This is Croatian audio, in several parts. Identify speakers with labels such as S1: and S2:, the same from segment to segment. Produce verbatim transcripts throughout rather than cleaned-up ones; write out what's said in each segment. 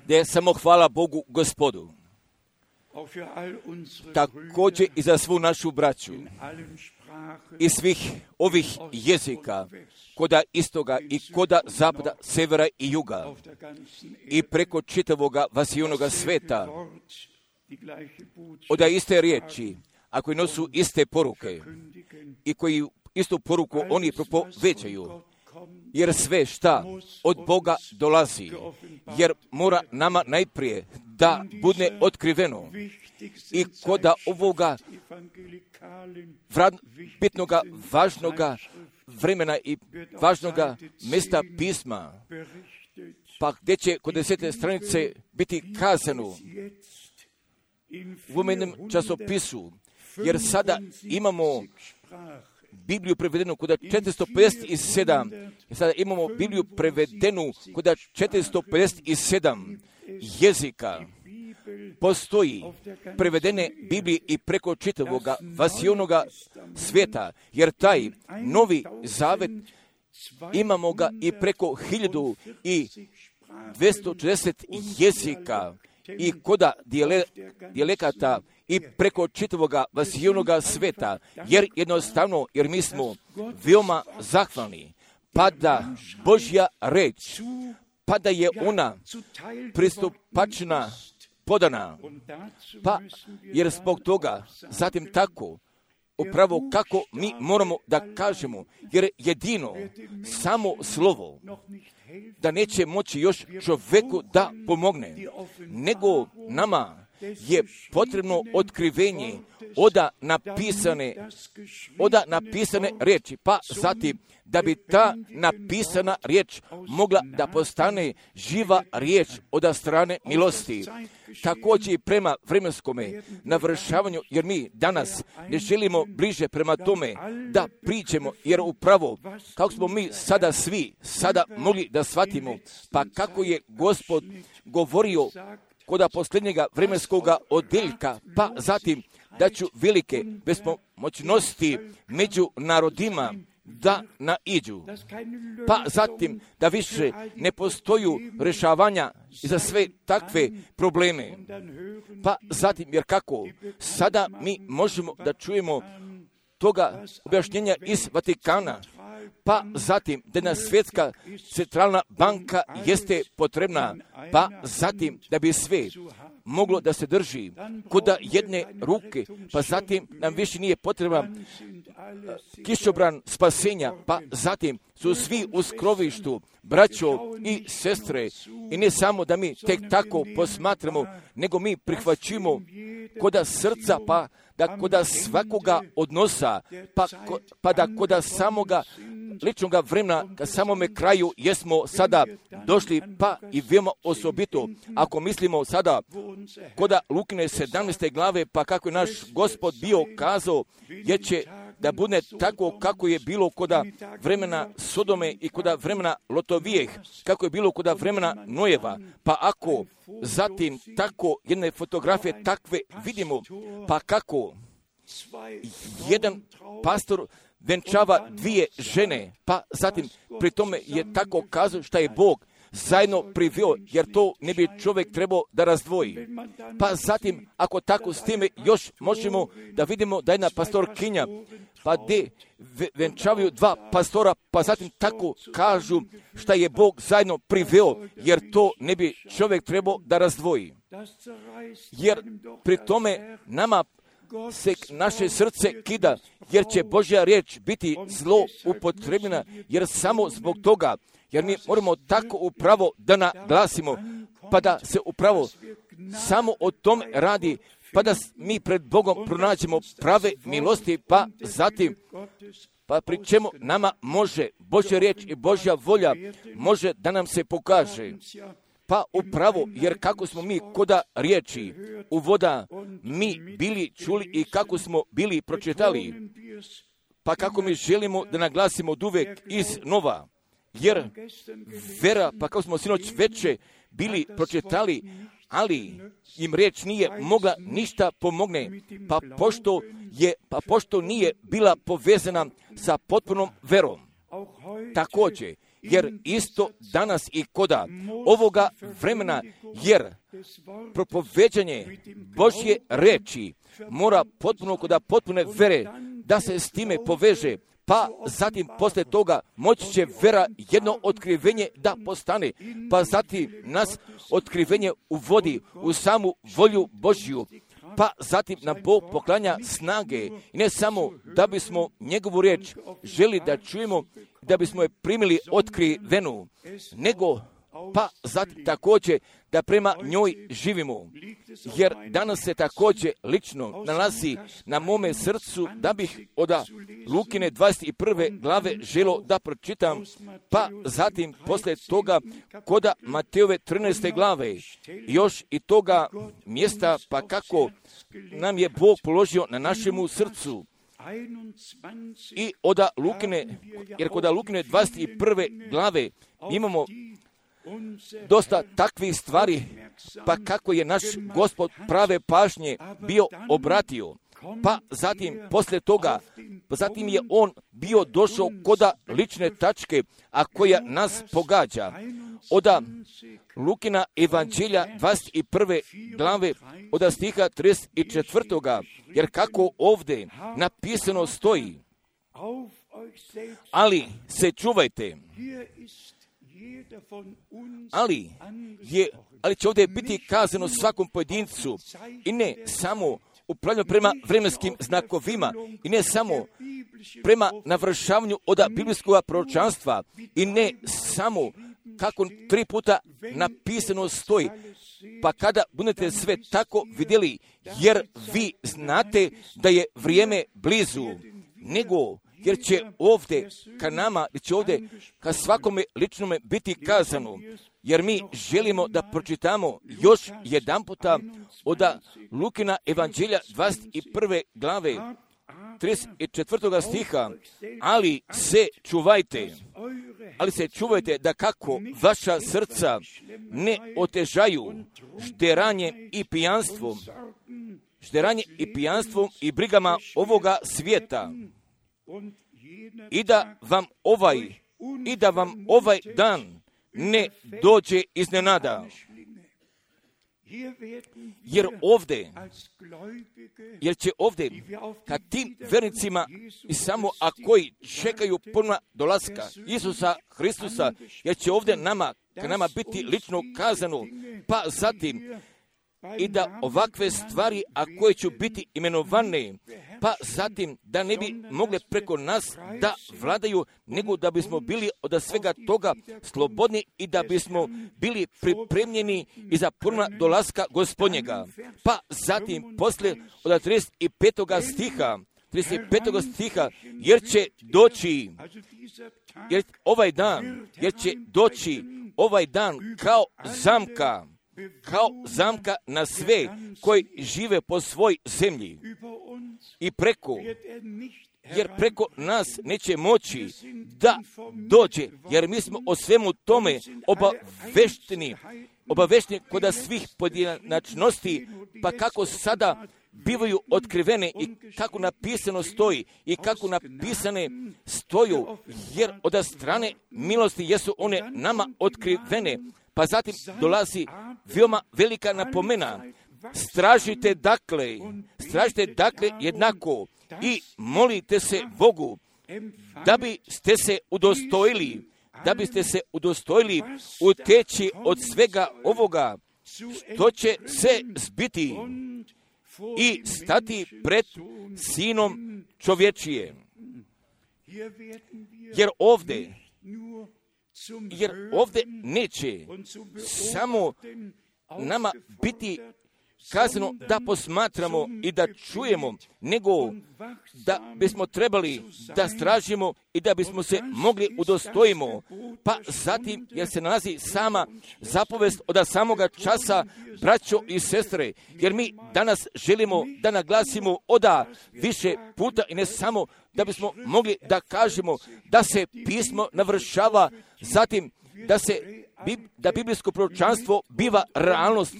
S1: Da je samo hvala Bogu Gospodu. Također i za svu našu braću i svih ovih jezika, koda istoga i koda zapada, severa i juga i preko čitavoga vasijonoga sveta, oda iste riječi, a koji nosu iste poruke i koji istu poruku oni propovećaju, jer sve šta od Boga dolazi, jer mora nama najprije da bude otkriveno i koda ovoga bitnoga, važnoga vremena i važnoga mjesta pisma, pa gdje će kod desete stranice biti kazano u ovom jednom časopisu, jer sada imamo Bibliju prevedenu kod četiristo pedeset sedam, sada imamo Bibliju prevedenu kod četiristo pedeset sedam jezika. Postoji prevedene Biblije i preko čitavoga vasijonoga svijeta, jer taj novi zavet imamo ga i preko hiljadu i dvjesto četrdeset jezika i koda dijele, dijelekata i preko čitavoga vasijonoga svijeta, jer jednostavno, jer mi smo veoma zahvalni, pa da Božja reč, pa da je ona pristupačna, podana, pa jer zbog toga, zatim tako, upravo kako mi moramo da kažemo, jer jedino samo slovo da neće moći još čovjeku da pomogne, nego nama je potrebno otkrivenje oda napisane, oda napisane riječi, pa zatim da bi ta napisana riječ mogla da postane živa riječ od strane milosti. Također i prema vremenskome navršavanju, jer mi danas ne želimo bliže prema tome da priđemo, jer upravo kako smo mi sada svi sada mogli da shvatimo, pa kako je Gospod govorio koda posljednjega vremenskoga odjeljka, pa zatim da ću velike bespomoćnosti među narodima da naiđu, pa zatim da više ne postoju rješavanja za sve takve probleme, pa zatim, jer kako sada mi možemo da čujemo toga objašnjenja iz Vatikana, pa zatim da jedna svjetska centralna banka jeste potrebna, pa zatim da bi sve moglo da se drži kod jedne ruke, pa zatim nam više nije potreban kišobran spasenja, pa zatim su svi u skrovištu, braćo i sestre, i ne samo da mi tek tako posmatramo, nego mi prihvaćimo koda srca, pa da koda svakoga odnosa, pa, ko, pa da koda samoga ličnoga vremena, ka samome kraju jesmo sada došli, pa i veoma osobito, ako mislimo sada koda Lukine sedamnaeste glave, pa kako je naš Gospod bio kazao, jer će da bude tako kako je bilo koda vremena Sodome i koda vremena Lotovijeh, kako je bilo koda vremena Nojeva, pa ako zatim tako jedne fotografije takve vidimo, pa kako jedan pastor venčava dvije žene, pa zatim pri tome je tako kazao šta je Bog zajedno priveo, jer to ne bi čovjek trebao da razdvoji. Pa zatim, ako tako s time još možemo da vidimo da jedna pastorkinja, pa gdje venčavaju dva pastora, pa zatim tako kažu šta je Bog zajedno priveo, jer to ne bi čovjek trebao da razdvoji. Jer pri tome nama se naše srce kida, jer će Božja riječ biti zlo upotrebljena, jer samo zbog toga, jer mi moramo tako upravo da naglasimo, pa da se upravo samo o tom radi, pa da mi pred Bogom pronađemo prave milosti, pa zatim, pa pri čemu nama može Božja riječ i Božja volja može da nam se pokaže. Pa upravo, jer kako smo mi koda riječi uvoda mi bili čuli i kako smo bili pročitali, pa kako mi želimo da naglasimo od uvek iznova, jer vera, pa kako smo sinoć veče bili pročitali, ali im riječ nije mogla ništa pomogne, pa pošto, je, pa pošto nije bila povezana sa potpunom verom. Također, jer isto danas i koda ovoga vremena, jer propoveđanje Božje reči mora potpuno koda potpune vere da se s time poveže, pa zatim posle toga moći će vera jedno otkrivenje da postane, pa zatim nas otkrivenje uvodi u samu volju Božju, pa zatim nam Bog poklanja snage i ne samo da bismo njegovu riječ želi da čujemo, da bismo je primili otkrivenu, nego pa zatim također da prema njoj živimo. Jer danas se također lično nalazi na mome srcu da bih od Lukine dvadeset prve glave želo da pročitam, pa zatim posle toga koda Matejove trinaeste glave, još i toga mjesta, pa kako nam je Bog položio na našemu srcu. I od Lukine, jer kod Lukine dvadeset prve glave imamo dosta takvih stvari, pa kako je naš Gospod prave pažnje bio obratio. Pa zatim, posle toga, pa zatim je on bio došao koda lične tačke, a koja nas pogađa. Oda Lukina evanđelja dvadeset prve glave, od stiha trideset četvrtoga, jer kako ovdje napisano stoji, ali se čuvajte, ali, je, ali će ovdje biti kazano svakom pojedincu i ne samo upravljanju prema vremenskim znakovima i ne samo prema navršavanju od biblijskog proročanstva i ne samo kako tri puta napisano stoji, pa kada budete sve tako vidjeli, jer vi znate da je vrijeme blizu, nego jer će ovdje ka nama, će ovdje ka svakome ličnome biti kazano, jer mi želimo da pročitamo još jedan puta od Lukina evanđelja dvadeset prve glave, trideset četvrtoga stiha, ali se čuvajte, ali se čuvajte da kako vaša srca ne otežaju žderanjem i pijanstvom, žderanjem i pijanstvom i brigama ovoga svijeta, i da vam ovaj i da vam ovaj dan ne dođe iznenada. Jer ovdje, jer će ovdje, kad tim vernicima i samo a koji čekaju ponovna dolaska Isusa Hristusa, jer će ovdje nama, ka nama biti lično kazano, pa zatim i da ovakve stvari, a koje će biti imenovane, pa zatim da ne bi mogle preko nas da vladaju, nego da bismo bili od svega toga slobodni i da bismo bili pripremljeni i za ponovna dolaska Gospodnjega. Pa zatim posle od trideset petoga stiha, trideset petoga stiha, jer će doći, jer ovaj dan, jer će doći ovaj dan kao zamka, kao zamka na sve koji žive po svoj zemlji i preko, jer preko nas neće moći da dođe, jer mi smo o svemu tome obavešteni, obavešteni kod svih pojedinačnosti, pa kako sada bivaju otkrivene i kako napisano stoji i kako napisane stoju, jer od strane milosti jesu one nama otkrivene. Pa zatim dolazi veoma velika napomena. Stražite dakle, stražite dakle jednako i molite se Bogu da biste se udostojili, da biste se udostojili uteći od svega ovoga što će se zbiti i stati pred Sinom čovječije. Jer ovdje Jer ovdje neće samo nama biti kazano da posmatramo i da čujemo, nego da bismo trebali da stražimo i da bismo se mogli udostojimo. Pa zatim, jer se nalazi sama zapovest od samoga časa, braćo i sestre, jer mi danas želimo da naglasimo oda više puta i ne samo da bismo mogli da kažemo da se pismo navršava, zatim da se da biblijsko proročanstvo biva realnost,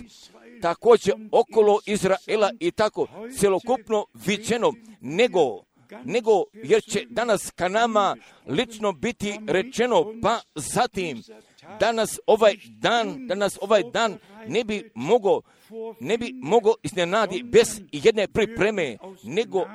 S1: također okolo Izraela i tako celokupno viđeno, nego nego jer će danas ka nama lično biti rečeno, pa zatim danas ovaj dan, danas ovaj dan ne bi mogao ne bi mogao iznenadi bez jedne pripreme, nego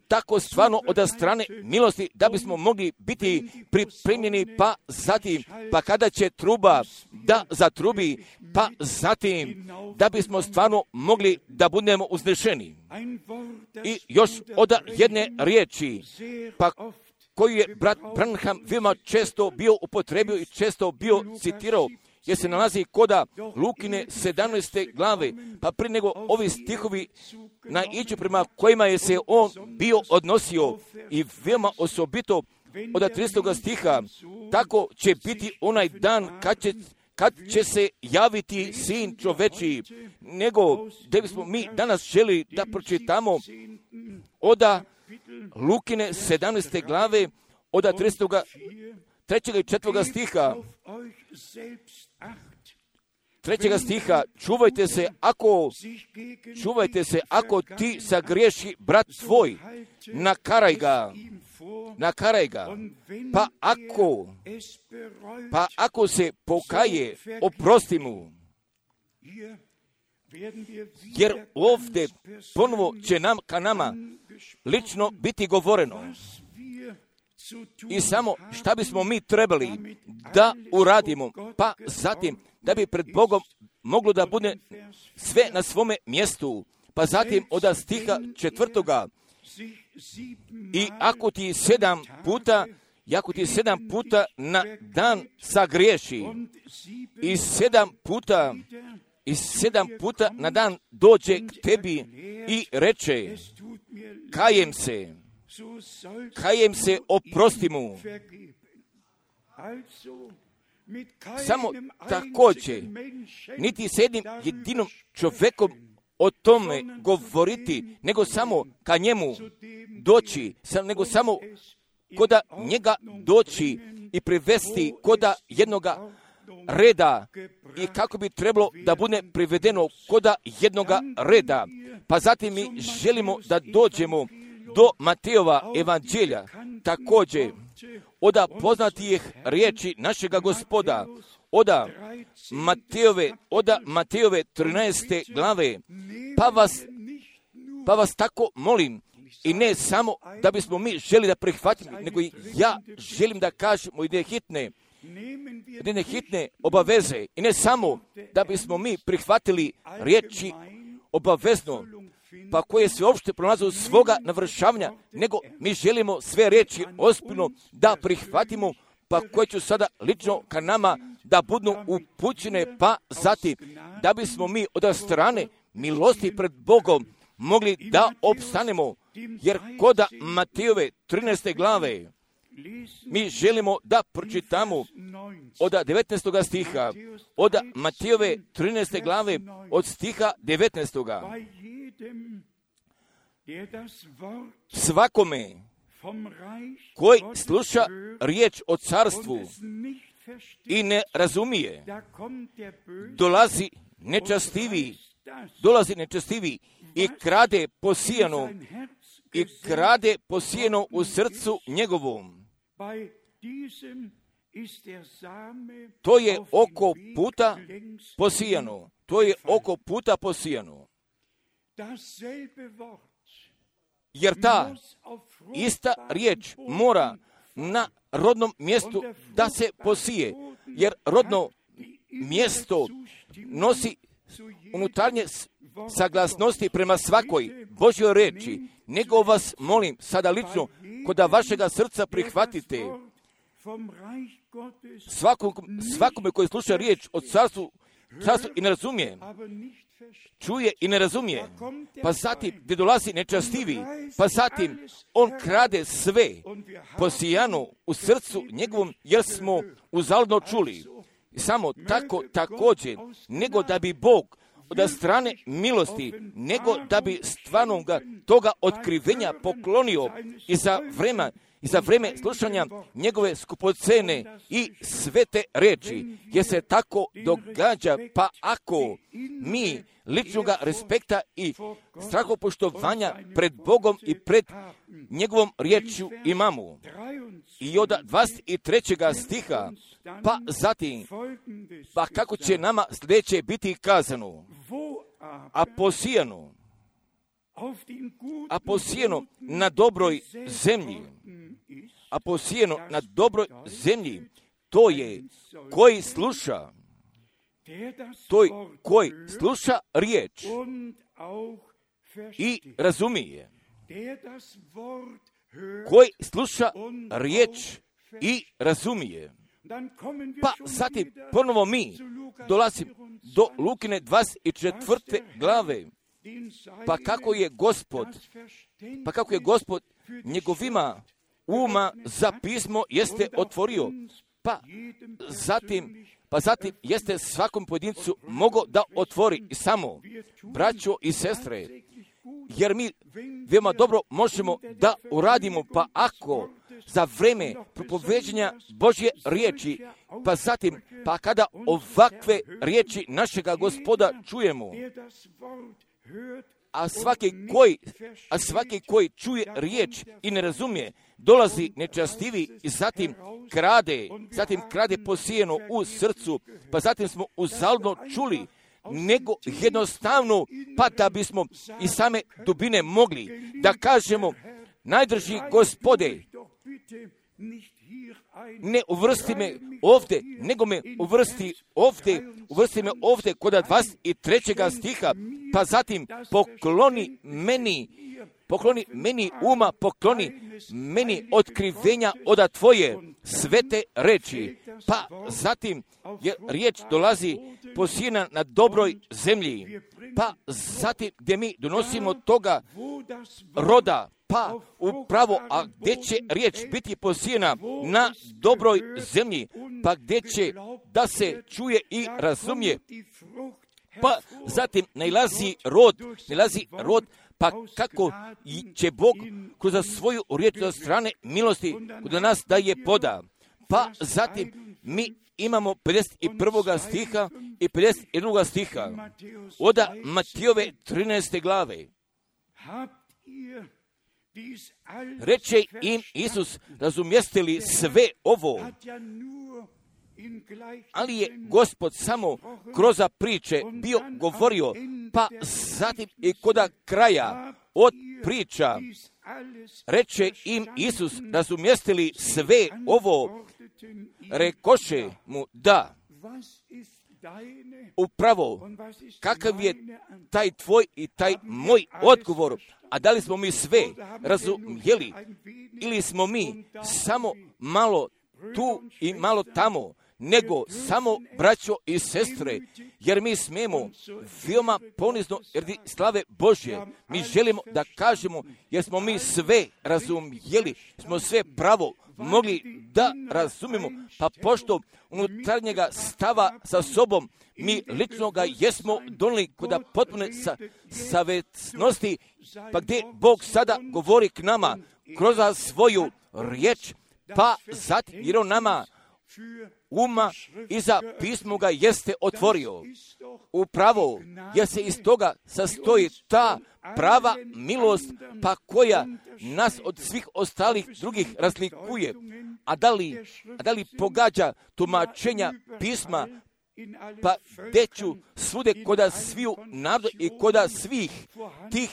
S1: tako stvarno od strane milosti da bismo mogli biti pripremljeni, pa zatim, pa kada će truba da zatrubi, pa zatim da bismo stvarno mogli da budemo uznešeni. I još od jedne riječi, pa koju je brat Branham veoma često bio upotrebio i često bio citirao, jer se nalazi koda Lukine sedamnaeste glave, pa prije nego ovi stihovi naiđu prema kojima je se on bio odnosio i veoma osobito od tridesetog stiha, tako će biti onaj dan kad će, kad će se javiti Sin čoveči, nego da bismo mi danas želi da pročitamo od Lukine sedamnaeste glave, od tridesetog trećeg i četvrtog stiha, trećega stiha, čuvajte se ako, čuvajte se ako ti sagriješi brat tvoj, nakaraj ga, nakaraj ga, pa ako, pa ako se pokaje, oprosti mu. Jer ovdje ponovo će nam, ka nama, lično biti govoreno. I samo šta bismo mi trebali da uradimo, pa zatim da bi pred Bogom moglo da bude sve na svome mjestu, pa zatim od stiha četvrtoga, i ako ti sedam puta, i ako ti sedam puta na dan sagriješi, i sedam puta, i sedam puta na dan dođe k tebi i reče, kajem se, kajem se, oprosti mu. Samo također, niti s jednim jedinom čovjekom o tome govoriti, nego samo ka njemu doći, nego samo koda njega doći i privesti koda jednoga reda, i kako bi trebalo da bude privedeno koda jednoga reda. Pa zatim mi želimo da dođemo do Matejova evanđelja, također od poznatijih riječi našega Gospoda, od Matejove, od Matejove trinaeste glave, pa vas, pa vas tako molim, i ne samo da bismo mi želi da prihvatimo, nego i ja želim da kažemo i hitne, jedne hitne obaveze, i ne samo da bismo mi prihvatili riječi obavezno, pa koje se uopšte pronalaze svoga navršavanja, nego mi želimo sve riječi ozbiljno da prihvatimo, pa koje će sada lično ka nama da budu upućene, pa zatim da bismo mi od strane milosti pred Bogom mogli da opstanemo, jer kod Matejove trinaeste glave mi želimo da pročitamo od devetnaestog stiha, od Matejove trinaeste glave, od stiha devetnaestog. Svakome koji sluša riječ o carstvu i ne razumije, dolazi nečastivi, dolazi nečastivi i krade posijano, i krade posijano u srcu njegovom. To je oko puta posijano. To je oko puta posijano. Jer ta ista riječ mora na rodnom mjestu da se posije. Jer rodno mjesto nosi unutarnje saglasnosti prema svakoj Božjoj reči. Nego vas molim sada lično, koda vašega srca prihvatite svakom, svakome koji sluša riječ o carstvu, carstvu i ne razumije, čuje i ne razumije, pa zatim gdje dolazi nečastivi, pa zatim on krade sve posijano u srcu njegovom, jer smo uzaludno čuli. Samo tako također, nego da bi Bog od strane milosti, nego da bi stvarno ga toga otkrivenja poklonio i za vremena i za vrijeme slušanja njegove skupocene i svete reči, jer se tako događa, pa ako mi ličnoga respekta i strahopoštovanja pred Bogom i pred njegovom riječju imamo. I od dvadeset trećeg stiha, pa zatim, pa kako će nama sljedeće biti kazano, a posijano, a posijeno na dobroj zemlji, a posijeno na dobroj zemlji, to je koji sluša, to je koji sluša riječ i razumije, koji sluša riječ i razumije. Pa zatim ponovo mi dolazimo do Lukine dvadeset četvrte glave, pa kako je Gospod, pa kako je Gospod njegovima uma za pismo jeste otvorio, pa zatim, pa zatim jeste svakom pojedincu mogao da otvori samo, braćo i sestre, jer mi veoma dobro možemo da uradimo, pa ako za vrijeme propoveđenja Božje riječi, pa zatim, pa kada ovakve riječi našega Gospoda čujemo, a svaki koji, a svaki koji čuje riječ i ne razumije, dolazi nečastivi i zatim krade, zatim krade posijeno u srcu, pa zatim smo uzaludno čuli, nego jednostavno, pa da bismo iz same dubine mogli da kažemo, najdrži Gospode, ne uvrsti me ovdje, nego me uvrsti ovdje, uvrsti me ovdje kod dvadeset trećeg stiha, pa zatim pokloni meni, pokloni meni uma, pokloni meni otkrivenja od tvoje svete reči, pa zatim je riječ dolazi posijena na dobroj zemlji, pa zatim gdje mi donosimo toga roda, pa upravo, a gdje će riječ biti posijena na dobroj zemlji, pa gdje će da se čuje i razumije, pa zatim nailazi rod, nailazi rod, pa kako će Bog kroz svoju riječ od strane milosti kod nas da je poda. Pa zatim mi imamo pedeset prvog stiha i pedeset drugog stiha od Matijove trinaeste glave. Reče im Isus, razumijeste li sve ovo? Ali je Gospod samo kroz priče bio govorio, pa zatim i kod kraja od priča reče im Isus, razumijeste li sve ovo? Rekoše mu da. Upravo, kakav je taj tvoj i taj moj odgovor, a da li smo mi sve razumjeli ili smo mi samo malo tu i malo tamo, nego samo braćo i sestre, jer mi smijemo veoma ponizno radi slave Božje. Mi želimo da kažemo, jer smo mi sve razumjeli, smo sve pravo mogli da razumimo, pa pošto unutarnjega stava sa sobom mi lično ga jesmo donijeli kod potpune sa, savjesnosti, pa gdje Bog sada govori k nama kroz svoju riječ, pa zatim jer on nama uma i za pismo ga jeste otvorio. Upravo, jer se iz toga sastoji ta prava milost, pa koja nas od svih ostalih drugih razlikuje. A da li, a da li pogađa tumačenja pisma, pa deću svude koda sviju naroda i koda svih tih,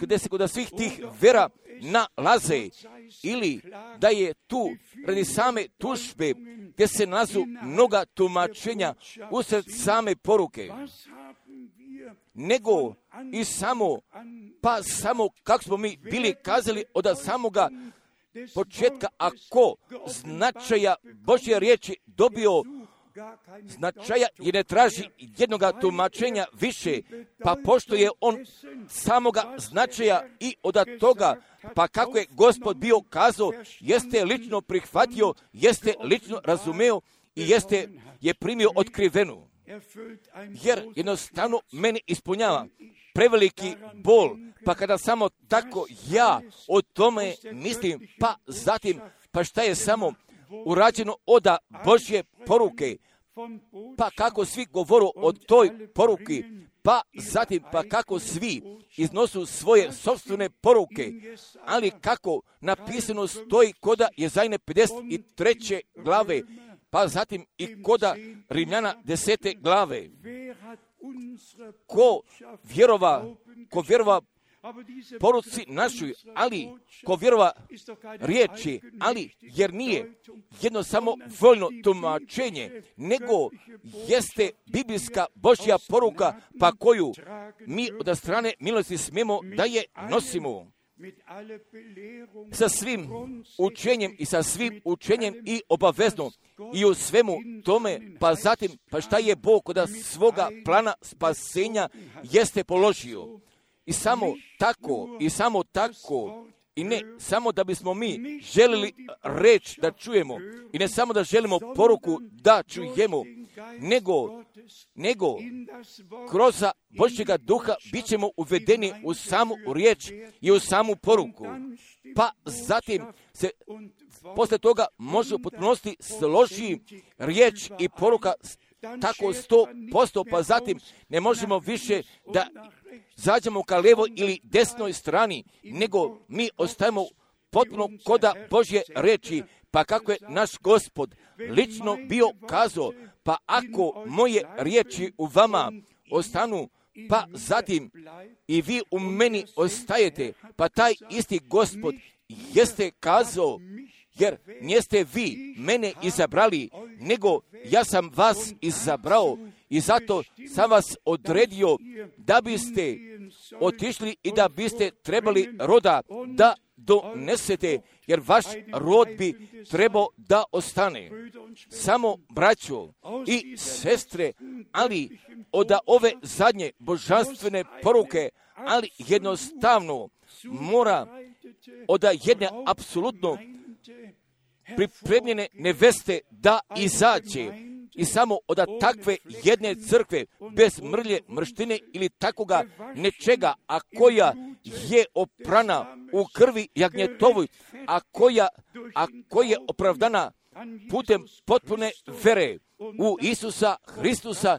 S1: gdje se koda svih tih vera nalaze, ili da je tu radi same tužbe gdje se nalazu mnoga tumačenja usred same poruke, nego i samo, pa samo kako smo mi bili kazali od samoga početka, ako značaja Božje riječi dobio značaja i ne traži jednoga tumačenja više, pa pošto je on samoga značaja i od toga, pa kako je Gospod bio kazao, jeste lično prihvatio, jeste lično razumeo i jeste je primio otkrivenu. Jer jednostavno mene ispunjava preveliki bol, pa kada samo tako ja o tome mislim, pa zatim, pa šta je samo urađeno od Božje poruke, pa kako svi govoru o toj poruki, pa zatim, pa kako svi iznosu svoje sopstvene poruke, ali kako napisano stoji koda Jezajne pedeset treće glave, pa zatim i koda Rimljana desete glave. Ko vjerova, ko vjerova poruci našoj, ali ko vjerova riječi, ali jer nije jedno samo voljno tumačenje, nego jeste biblijska Božja poruka, pa koju mi od strane milosti smijemo da je nosimo. Sa svim učenjem i sa svim učenjem i obavezno i u svemu tome, pa zatim, pa šta je Bog od svoga plana spasenja jeste položio. I samo tako, i samo tako, i ne samo da bismo mi želili reč da čujemo, i ne samo da želimo poruku da čujemo, nego, nego kroz Božjega duha bit ćemo uvedeni u samu riječ i u samu poruku. Pa zatim se posle toga može u potpunosti složi riječ i poruka tako sto posto, pa zatim ne možemo više da zađemo ka levo ili desnoj strani, nego mi ostajemo potpuno koda Božje reči, pa kako je naš Gospod lično bio kazao, pa ako moje riječi u vama ostanu, pa zatim i vi u meni ostajete, pa taj isti Gospod jeste kazao, jer niste vi mene izabrali, nego ja sam vas izabrao i zato sam vas odredio da biste otišli i da biste trebali roda da donesete, jer vaš rod bi trebao da ostane. Samo braćo i sestre, ali od ove zadnje božanstvene poruke, ali jednostavno mora od jedne apsolutno pripremljene neveste da izađe i samo od takve jedne crkve bez mrlje, mrštine ili takoga nečega, a koja je oprana u krvi jagnjetovoj, a koja, a koja je opravdana putem potpune vere u Isusa Hristusa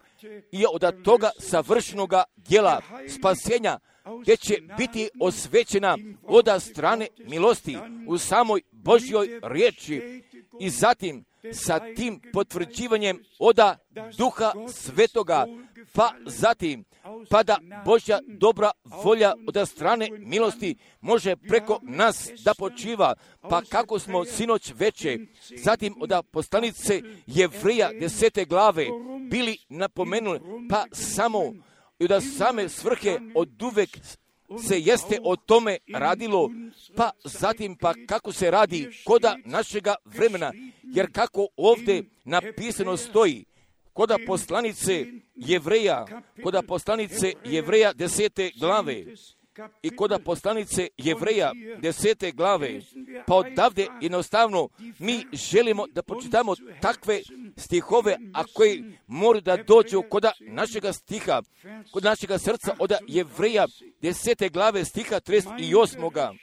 S1: i od toga savršenoga djela spasenja, gdje će biti osvećena od strane milosti u samoj Božjoj riječi i zatim sa tim potvrđivanjem oda Duha Svetoga, pa zatim pa da Božja dobra volja od strane milosti može preko nas da počiva, pa kako smo sinoć veče, zatim od poslanice Jevreja desete glave bili napomenuli, pa samo i da same svrhe od uvek se jeste o tome radilo, pa zatim pa kako se radi koda našega vremena, jer kako ovdje napisano stoji, koda poslanice Jevreja, koda poslanice Jevreja desete glave i koda poslanice Jevreja desete glave, pa odavde jednostavno mi želimo da pročitamo takve stihove, a koji moraju da dođu koda našega stiha, kod našega srca od Jevreja desete glave stiha trideset osam.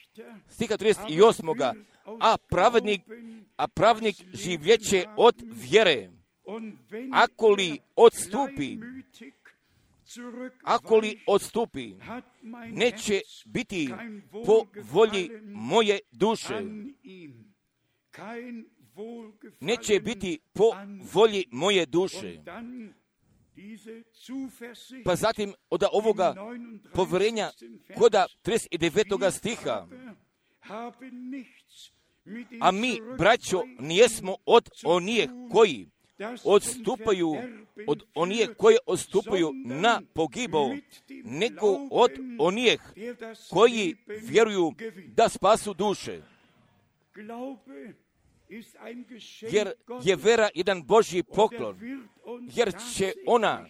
S1: Stiha trideset osam. A pravednik, a pravednik življeće od vjere. Ako li odstupi, ako li odstupi, neće biti po volji moje duše. Neće biti po volji moje duše. Pa zatim od ovoga povjerenja koda trideset devetog stiha. A mi, braćo, nijesmo od onih koji odstupaju, od onih koje odstupaju na pogibao, nego od onih koji vjeruju da spasu duše. Jer je vera jedan Božji poklon, jer će ona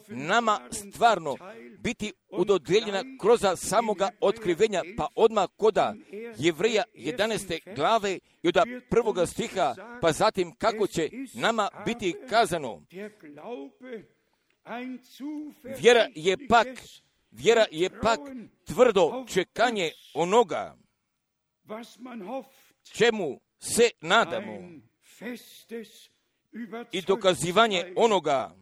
S1: nama stvarno biti udodjeljena kroz samoga otkrivenja, pa odmah koda Jevreja jedanaeste glave i od prvoga stiha, pa zatim kako će nama biti kazano. Vjera je pak Vjera je pak tvrdo čekanje onoga čemu se nadamo i dokazivanje onoga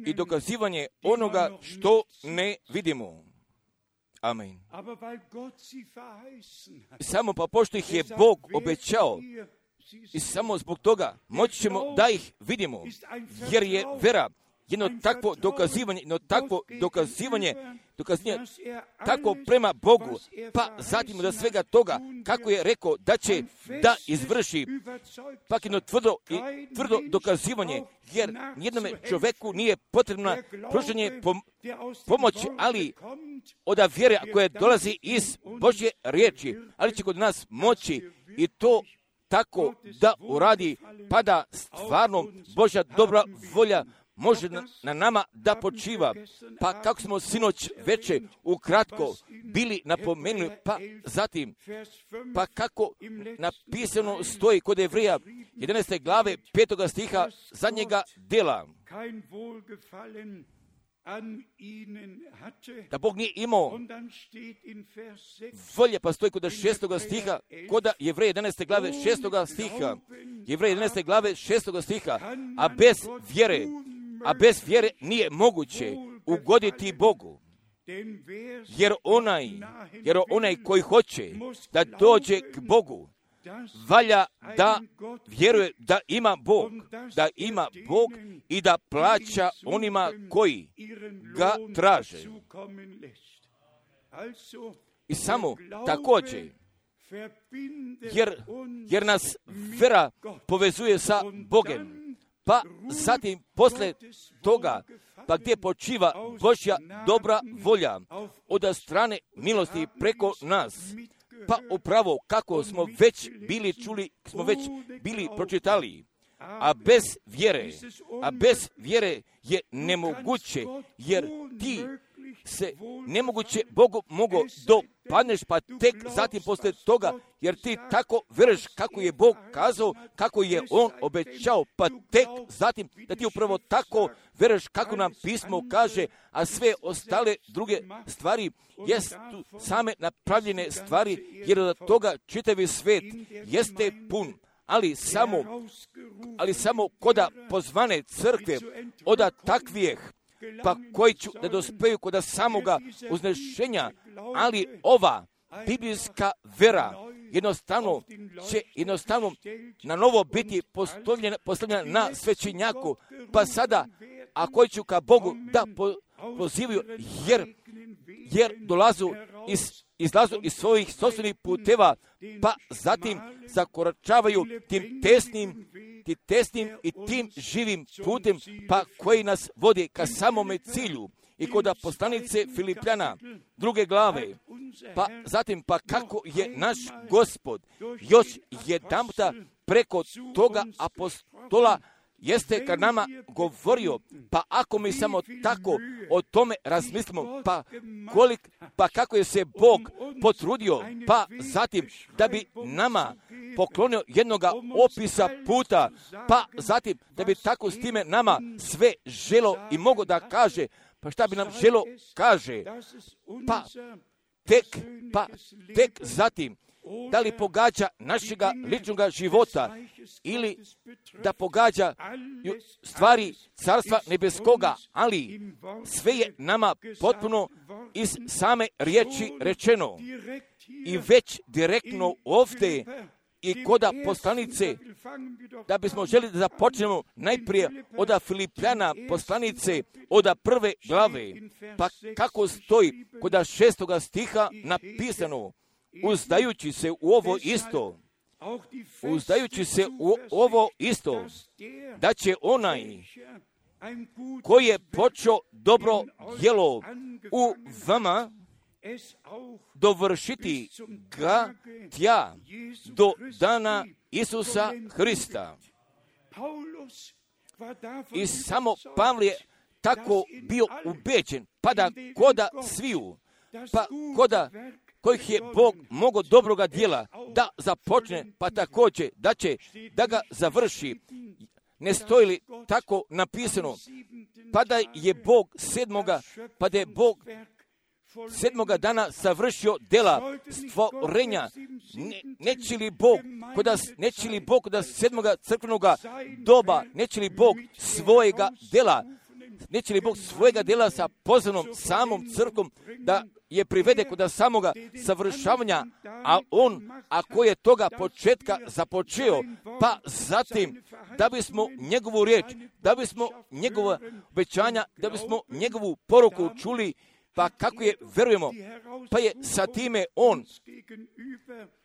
S1: i dokazivanje onoga što ne vidimo. Amen. Samo pa pošto ih je Bog obećao, i samo zbog toga moći ćemo da ih vidimo, jer je vera jedno takvo dokazivanje, jedno takvo dokazivanje, dokazivanje tako prema Bogu, pa zatim da svega toga, kako je rekao da će da izvrši, pak jedno tvrdo, i tvrdo dokazivanje, jer nijednome čovjeku nije potrebno pružanje pom- pomoći, ali od vjere koja dolazi iz Božje riječi, ali će kod nas moći i to tako da uradi, pa da stvarno Božja dobra volja može na, na nama da počiva. Pa kako smo sinoć veče ukratko bili napomenuli, pa zatim, pa kako napisano stoji kod Jevrija jedanaeste glave petoga stiha zadnjega dela, da Bog nije imao volje, pa stoji kod šestoga stiha, kod Jevreja jedanaeste glave šestoga stiha, Jevreja jedanaeste glave šestoga stiha, a bez vjere, a bez vjere nije moguće ugoditi Bogu. Jer onaj, jer onaj koji hoće da dođe k Bogu, valja da vjeruje da ima Bog, da ima Bog i da plaća onima koji ga traže. I samo također, jer, jer nas vera povezuje sa Bogem, pa zatim posle toga, pa gdje počiva Božja dobra volja od strane milosti preko nas, pa upravo kako smo već bili čuli, smo već bili pročitali, a bez vjere, a bez vjere je nemoguće, jer ti se nemoguće Bogu mogo dopadneš, pa tek zatim posle toga, jer ti tako veruješ kako je Bog kazao, kako je On obećao, pa tek zatim da ti upravo tako veruješ kako nam pismo kaže, a sve ostale druge stvari jesu same napravljene stvari, jer od toga čitavi svet jeste pun. Ali samo, ali samo koda pozvane crkve, oda takvijeh, pa koji ću da dospeju kod samoga uznešenja, ali ova biblijska vera jednostavno će jednostavno na novo biti postavljena, postavljena na svećenjaku, pa sada, a koji ću ka Bogu da po, pozivaju, jer, jer dolazu iz, izlazu iz svojih sopstvenih puteva, pa zatim zakoračavaju tim tesnim, tim tesnim i tim živim putem, pa koji nas vodi ka samome cilju. I kod poslanice Filipljana druge glave, pa zatim pa kako je naš Gospod još jedanputa preko toga apostola jeste kad nama govorio, pa ako mi samo tako o tome razmislimo, pa, kolik, pa kako je se Bog potrudio, pa zatim da bi nama poklonio jednoga opisa puta, pa zatim da bi tako s time nama sve želo i mogo da kaže, pa šta bi nam želo kaže, pa tek, pa tek zatim, da li pogađa našega ličnoga života ili da pogađa stvari Carstva nebeskoga, ali sve je nama potpuno iz same riječi rečeno i već direktno ovdje i koda poslanice, da bismo želi da započnemo najprije od Filipljana poslanice, od prve glave, pa kako stoji koda šestoga stiha napisano, uzdajući se u ovo isto, uzdajući se u ovo isto, da će onaj koji je počeo dobro djelo u vama dovršiti ga tja do dana Isusa Hrista. I samo Pavle je tako bio ubeđen, pa da koda sviju, pa koda kojih je Bog mogo dobroga djela da započne, pa također da će da ga završi. Ne stoji li tako napisano, pa da je Bog sedmoga, pa da je Bog sedmoga dana savršio dela stvorenja. Ne, neće li Bog, kod da, neće li Bog da sedmoga crkvenoga doba, neće li Bog svojega dela, neće li Bog svojega dela sa pozvanom samom crkvom da je privede kod samoga savršavanja, a on, ako je toga početka započeo, pa zatim, da bismo njegovu riječ, da bismo njegova obećanja, da bismo njegovu poruku čuli, pa kako je verujemo, pa je sa time on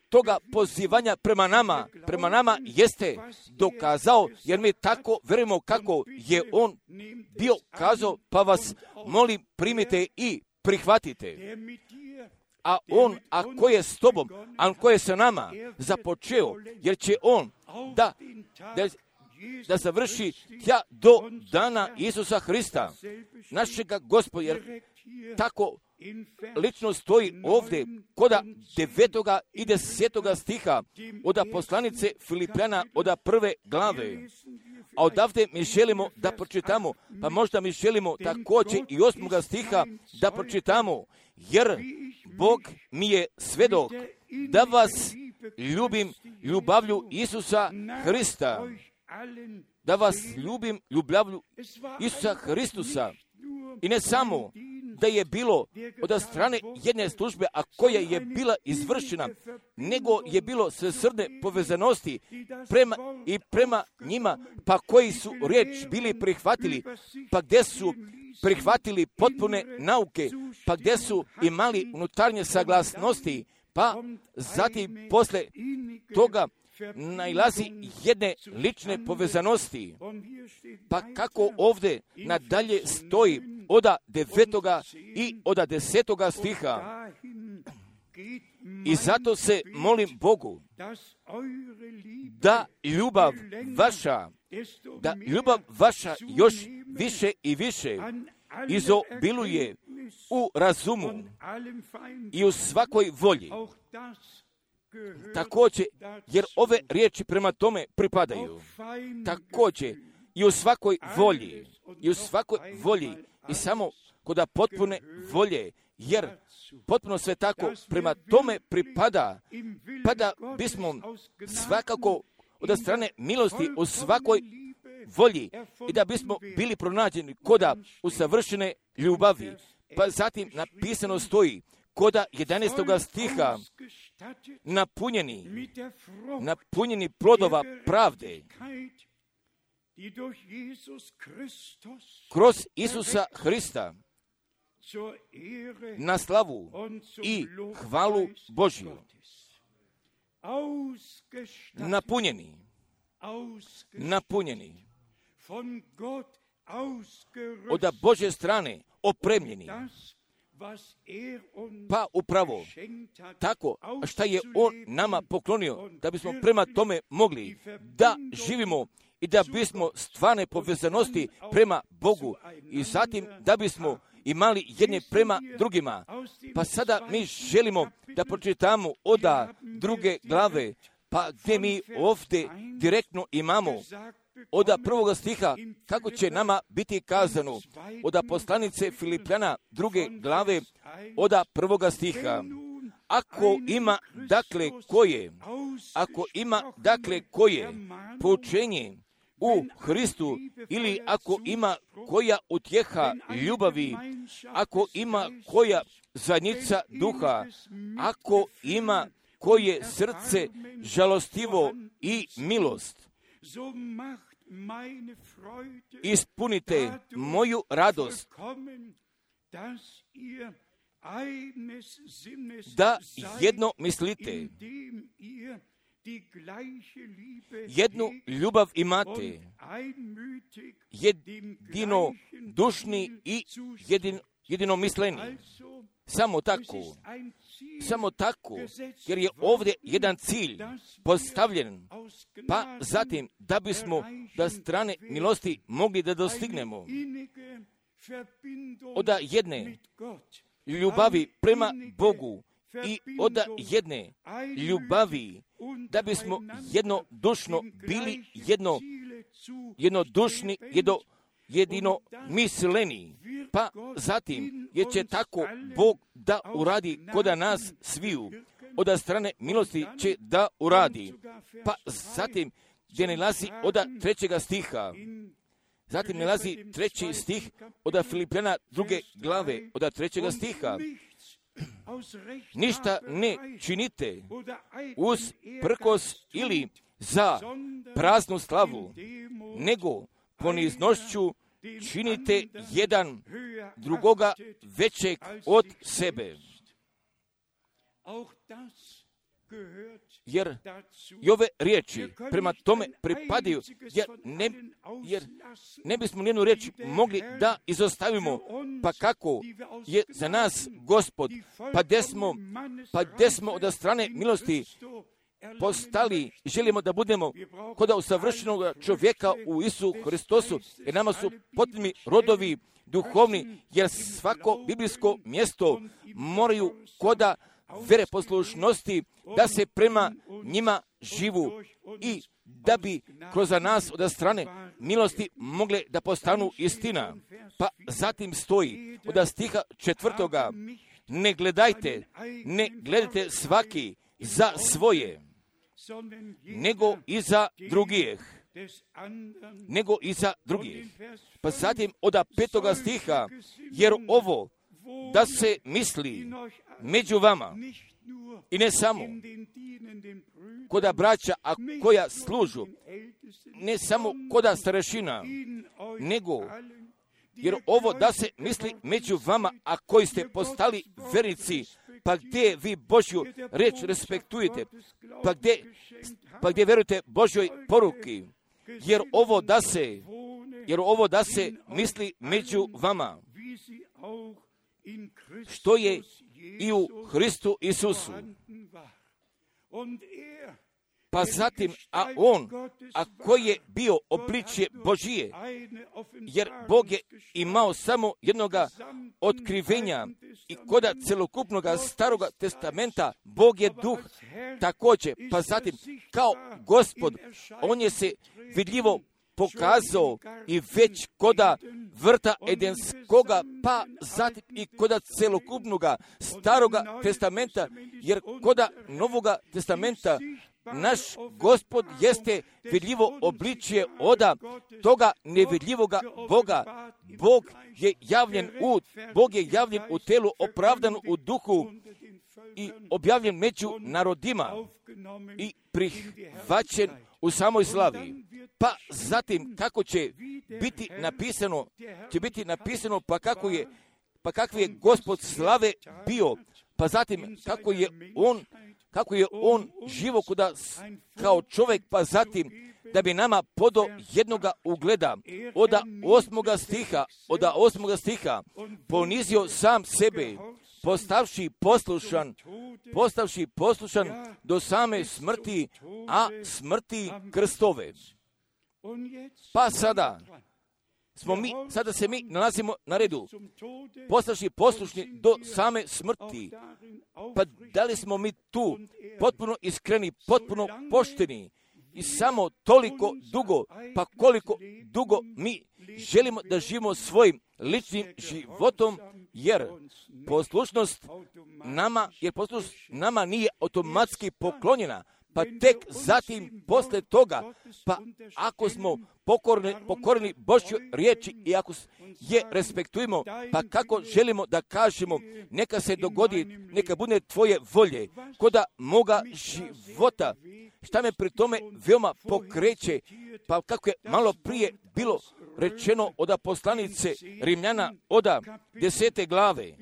S1: toga pozivanja prema nama, prema nama jeste dokazao, jer mi tako verujemo kako je on bio kazao, pa vas molim primite i prihvatite. A on, ako je s tobom, a on ko je sa nama započeo, jer će on da, da, da završi tja do dana Isusa Hrista, našega Gospoda, jer tako lično stoji ovdje koda devetoga i desetoga stiha od poslanice Filipljana od prve glave. A odavde mi želimo da pročitamo, pa možda mi želimo također i osmoga stiha da pročitamo, jer Bog mi je svedok da vas ljubim ljubavlju Isusa Hrista, da vas ljubim ljubavlju Isusa Hristusa. I ne samo da je bilo od strane jedne službe, a koja je bila izvršena, nego je bilo svesrdne povezanosti prema i prema njima, pa koji su riječ bili prihvatili, pa gdje su prihvatili potpune nauke, pa gdje su imali unutarnje saglasnosti, pa zatim posle toga nailazi jedne lične povezanosti. Pa kako ovdje nadalje stoji oda devetoga i oda desetoga stiha. I zato se molim Bogu da ljubav vaša, da ljubav vaša još više i više izobiluje u razumu i u svakoj volji. Također, jer ove riječi prema tome pripadaju. Također, i u svakoj volji, i u svakoj volji, i samo kod potpune volje, jer potpuno sve tako prema tome pripada, pa da bismo svakako od strane milosti u svakoj volji i da bismo bili pronađeni koda usavršene ljubavi. Pa zatim napisano stoji koda jedanaestoga stiha, napunjeni, napunjeni plodova pravde kroz Isusa Hrista na slavu i hvalu Božju. Napunjeni, napunjeni, od Božje strane opremljeni, pa upravo tako šta je On nama poklonio, da bismo prema tome mogli da živimo i da bismo stvarne povezanosti prema Bogu i zatim da bismo imali jedne prema drugima. Pa sada mi želimo da pročitamo oda druge glave, pa gdje mi ovdje direktno imamo oda prvoga stiha, kako će nama biti kazano oda poslanice Filipljana druge glave, oda prvoga stiha. Ako ima dakle koje, ako ima dakle koje poučenje u Hristu, ili ako ima koja utjeha ljubavi, ako ima koja zajednica duha, ako ima koje srce žalostivo i milost, ispunite moju radost, da jedno mislite, jednu ljubav imate, jedino dušni i jedin, jedino misleni. Samo tako, samo tako, jer je ovdje jedan cilj postavljen, pa zatim da bismo da strane milosti mogli da dostignemo od jedne ljubavi prema Bogu i od jedne ljubavi da bismo jednodušno bili jedno, jednodušni, jedno, jedino misleni. Pa zatim, jer će tako Bog da uradi kod nas sviju, od strane milosti će da uradi. Pa zatim, gdje ne lazi od trećega stiha, zatim ne lazi treći stih od Filipljana druge glave, od trećega stiha. Ništa ne činite uz prkos ili za praznu slavu, nego poniznošću činite jedan drugoga većeg od sebe. Jer i ove riječi prema tome pripadaju, jer ne, jer ne bismo nijednu riječ mogli da izostavimo, pa kako je za nas Gospod, pa gdje smo, pa gdje smo od strane milosti postali i želimo da budemo kod usavršenog čovjeka u Isusu Hristosu, jer nama su potrebni rodovi duhovni, jer svako biblijsko mjesto moraju koda vere poslušnosti da se prema njima živu i da bi kroz nas od strane milosti mogle da postanu istina. Pa zatim stoji od stiha četvrtoga, ne gledajte, ne gledajte svaki za svoje, nego i za drugih. Nego i za drugih. Pa zatim od petoga stiha, jer ovo da se misli među vama i ne samo koda braća, a koja služu, ne samo koda starešina, nego jer ovo da se misli među vama, a koji ste postali vernici, pa gdje vi Božju reč respektujete, pa gdje, pa gdje verujete Božjoj poruki, jer ovo da se, jer ovo da se misli među vama, što je i u Hristu Isusu. Pa zatim, a on, a koji je bio obličje Božije, jer Bog je imao samo jednoga otkrivenja i koda celokupnog staroga testamenta, Bog je duh također. Pa zatim, kao Gospod, on je se vidljivo pokazao i već koda vrta Edenskoga, pa zatim i koda celokupnoga staroga testamenta, jer koda novoga testamenta naš Gospod jeste vidljivo obličje oda toga nevidljivoga Boga. Bog je javljen u, Bog je javljen u telu, opravdan u duhu i objavljen među narodima i prihvaćen u samoj slavi. Pa zatim kako će biti napisano, će biti napisano pa kako je, pa kakvi je Gospod slave bio, pa zatim kako je on, kako je on živo kuda kao čovjek, pa zatim da bi nama podo jednoga ugleda od osmoga stiha, od osmoga stiha ponizio sam sebe, postavši poslušan, postavši poslušan do same smrti, a smrti krstove. Pa sada smo mi, sada se mi nalazimo na redu, postavši poslušni do same smrti. Pa da li smo mi tu potpuno iskreni, potpuno pošteni i samo toliko dugo, pa koliko dugo mi želimo da živimo svojim ličnim životom, jer poslušnost nama, jer poslušnost nama nije automatski poklonjena, pa tek zatim posle toga, pa ako smo pokorni, pokorni Božjoj riječi i ako je respektujemo, pa kako želimo da kažemo, neka se dogodi, neka bude tvoje volje, koda moga života, šta me pri tome veoma pokreće, pa kako je malo prije bilo rečeno od poslanice Rimljana od desete glave,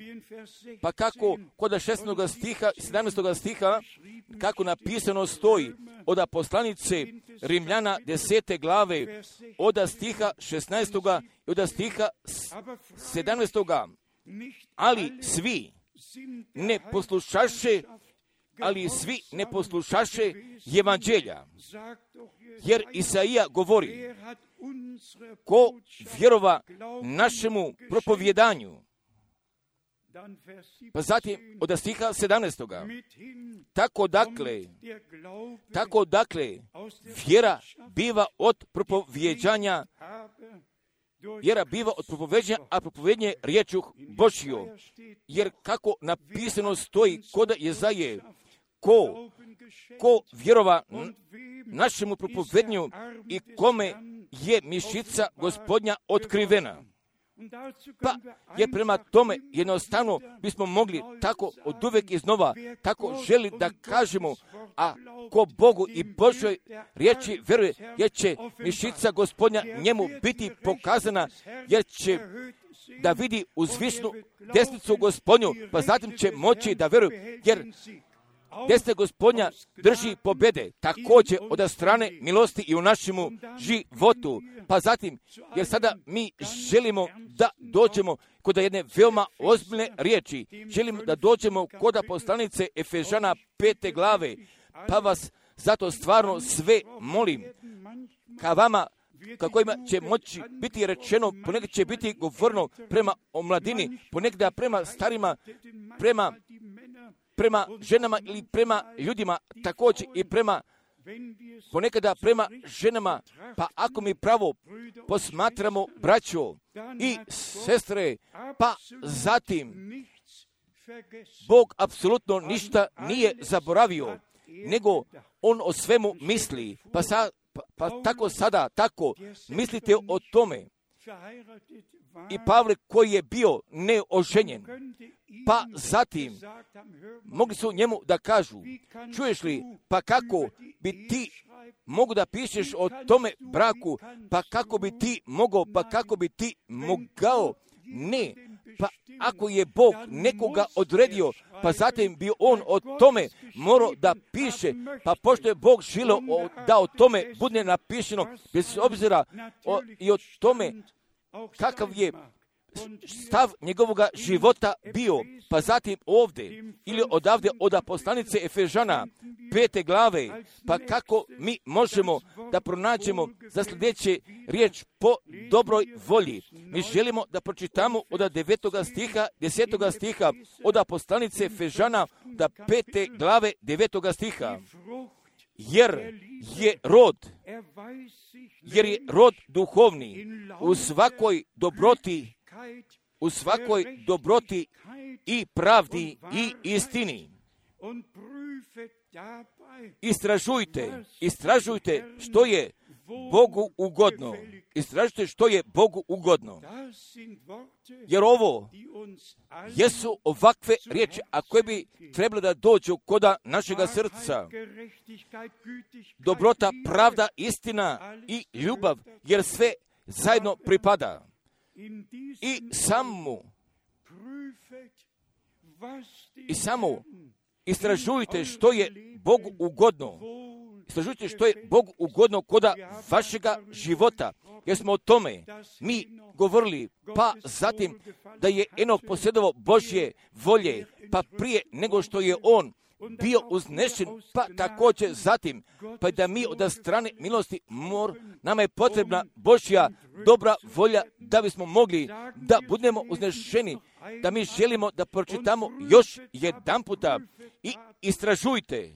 S1: pa kako kod šesnaestoga stiha i sedamnaestoga stiha, kako napisano stoji od poslanice Rimljana desete glave, od stiha šesnaestoga i od stiha sedamnaestoga, ali svi ne poslušaše, ali svi ne poslušaše evanđelja, jer Isaija govori, ko vjerova našemu propovjedanju. Pa zatim od stiha sedamnaestoga. Tako dakle, tako dakle, vjera biva od propovjeđanja, Vjera biva od propoveđenja, a propovednje riječu Božju. Jer kako napisano stoji kod Jezaje, ko, ko vjerova našemu propovednju i kome je mišica Gospodnja otkrivena. Pa je prema tome jednostavno bismo mogli tako od uvek iznova, tako želi da kažemo, a ko Bogu i Božoj riječi vjeruje, jer će mišica Gospodnja njemu biti pokazana, jer će da vidi uzvišnu desnicu Gospodnju, pa zatim će moći da vjeruje, jer desna Gospodnja drži pobjede, također od strane milosti i u našemu životu. Pa zatim, jer sada mi želimo da dođemo kod jedne veoma ozbiljne riječi. Želimo da dođemo kod poslanice Efežana pete glave. Pa vas zato stvarno sve molim, ka vama, kako ima će moći biti rečeno, ponekad će biti govorno prema omladini, ponekad prema starima, prema prema ženama ili prema ljudima, također i prema, ponekada prema ženama, pa ako mi pravo posmatramo braćo i sestre, pa zatim Bog apsolutno ništa nije zaboravio, nego on o svemu misli, pa, sa, pa, pa tako sada, tako mislite o tome. I Pavle koji je bio neoženjen, pa zatim mogli su njemu da kažu, čuješ li, pa kako bi ti mogu da pišeš o tome braku, pa kako bi ti mogao, pa kako bi ti mogao, ne, pa ako je Bog nekoga odredio, pa zatim bi on o tome morao da piše, pa pošto je Bog želio da o tome bude napišeno, bez obzira o, i o tome kakav je stav njegovoga života bio, pa zatim ovdje ili odavde od poslanice Efežana pete glave, pa kako mi možemo da pronađemo za sljedeće riječ po dobroj volji. Mi želimo da pročitamo od devetoga stiha, desetoga stiha, od poslanice Efežana da pete glave devetoga stiha. Jer je rod, jer je rod duhovni u svakoj dobroti, u svakoj dobroti i pravdi i istini. Istražujte, istražujte što je Bogu ugodno. Istražujte što je Bogu ugodno. Jer ovo jesu ovakve riječi, a koje bi trebalo da dođu koda našega srca. Dobrota, pravda, istina i ljubav, jer sve zajedno pripada. I samo, i samo istražujte što je Bogu ugodno. Istražujte što je Bogu ugodno koda vašega života, jer smo o tome mi govorili, pa zatim da je Enok posjedovao Božje volje, pa prije nego što je on bio uznešen, pa također zatim, pa da mi od strane milosti mor, nama je potrebna Božja dobra volja da bismo mogli da budemo uznešeni, da mi želimo da pročitamo još jedan puta i istražujte,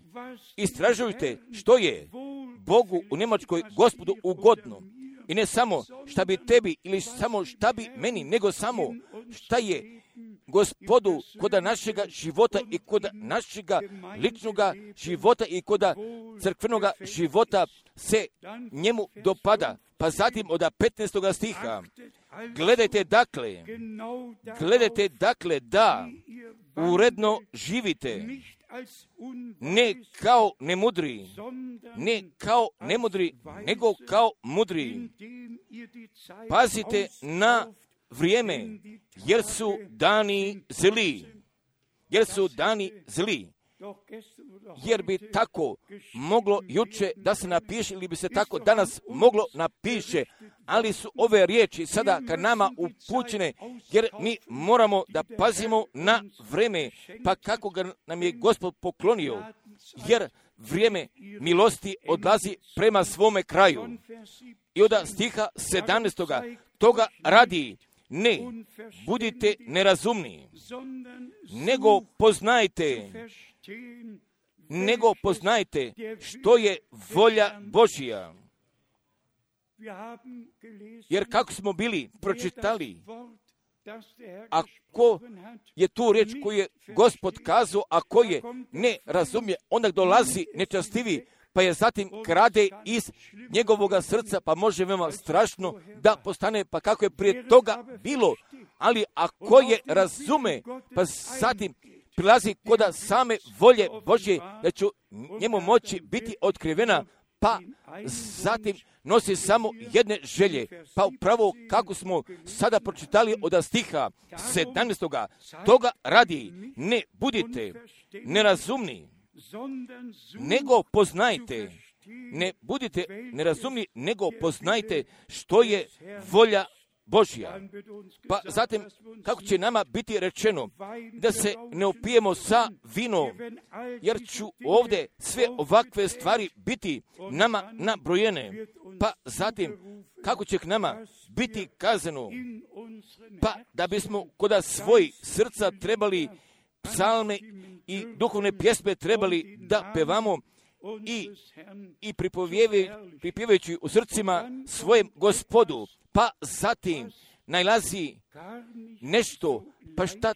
S1: istražujte što je Bogu u Njemačkoj Gospodu ugodno. I ne samo šta bi tebi ili samo šta bi meni, nego samo šta je Gospodu koda našega života i koda našega ličnoga života i koda crkvenoga života se njemu dopada. Pa zatim od petnaestoga stiha, gledajte dakle, gledajte dakle da uredno živite, ne kao nemudri, ne kao nemudri, nego kao mudri. Pazite na vrijeme, jer su dani zli, jer su dani zli. Jer bi tako moglo juče da se napiše ili bi se tako danas moglo napiše, ali su ove riječi sada ka nama upućene, jer mi moramo da pazimo na vrijeme, pa kako ga nam je Gospod poklonio, jer vrijeme milosti odlazi prema svome kraju. I od stiha sedamnaestoga toga radi, ne, budite nerazumni, nego poznajte, nego poznajte što je volja Božja. Jer kako smo bili pročitali, ako je tu riječ koju je Gospod kazao, a ko je ne razumije, onda dolazi nečastivi, pa je zatim krade iz njegovoga srca, pa može veoma strašno da postane, pa kako je prije toga bilo. Ali ako je razume, pa zatim prilazi koda same volje Božje, da će njemu moći biti otkrivena, pa zatim nosi samo jedne želje. Pa upravo kako smo sada pročitali od stiha sedamnaestoga toga radi, ne budite nerazumni, nego poznajte, ne budite nerazumni, nego poznajte što je volja Božja. Pa zatim, kako će nama biti rečeno da se ne opijemo sa vinom, jer ću ovdje sve ovakve stvari biti nama nabrojene. Pa zatim, kako će k nama biti kazano, pa da bismo kod svojih srca trebali psalme i duhovne pjesme trebali da pevamo i, i pripjevajući u srcima svojem Gospodu. Pa zatim najlazi nešto, pa šta,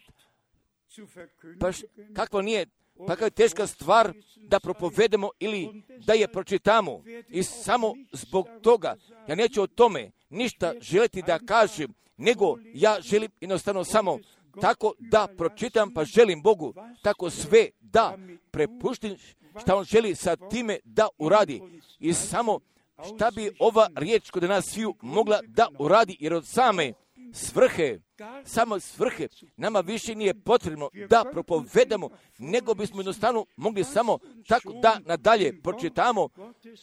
S1: pa šta, kakva nije, pa kakva je teška stvar da propovedemo ili da je pročitamo. I samo zbog toga, ja neću o tome ništa želiti da kažem, nego ja želim jednostavno samo tako da pročitam, pa želim Bogu tako sve da prepuštim šta On želi sa time da uradi. I samo šta bi ova riječ kod nas sviju mogla da uradi, jer od same svrhe, samo svrhe, nama više nije potrebno da propovedamo, nego bismo jednostavno mogli samo tako da nadalje pročitamo,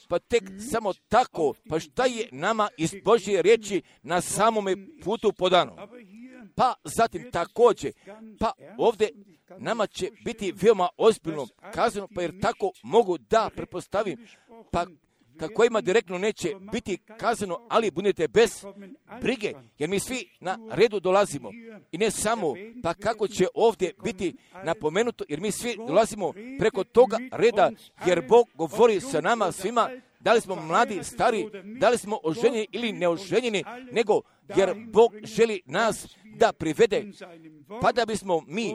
S1: pa tek samo tako, pa šta je nama iz Božje riječi na samome putu podano. Pa zatim također, pa ovdje nama će biti veoma ozbiljno kazano, pa jer tako mogu da pretpostavim, pa kako ima direktno neće biti kazano, ali budete bez brige, jer mi svi na redu dolazimo. I ne samo, pa kako će ovdje biti napomenuto, jer mi svi dolazimo preko toga reda, jer Bog govori sa nama svima, da li smo mladi, stari, da li smo oženjeni ili neoženjeni, nego jer Bog želi nas da privede, pa da bismo mi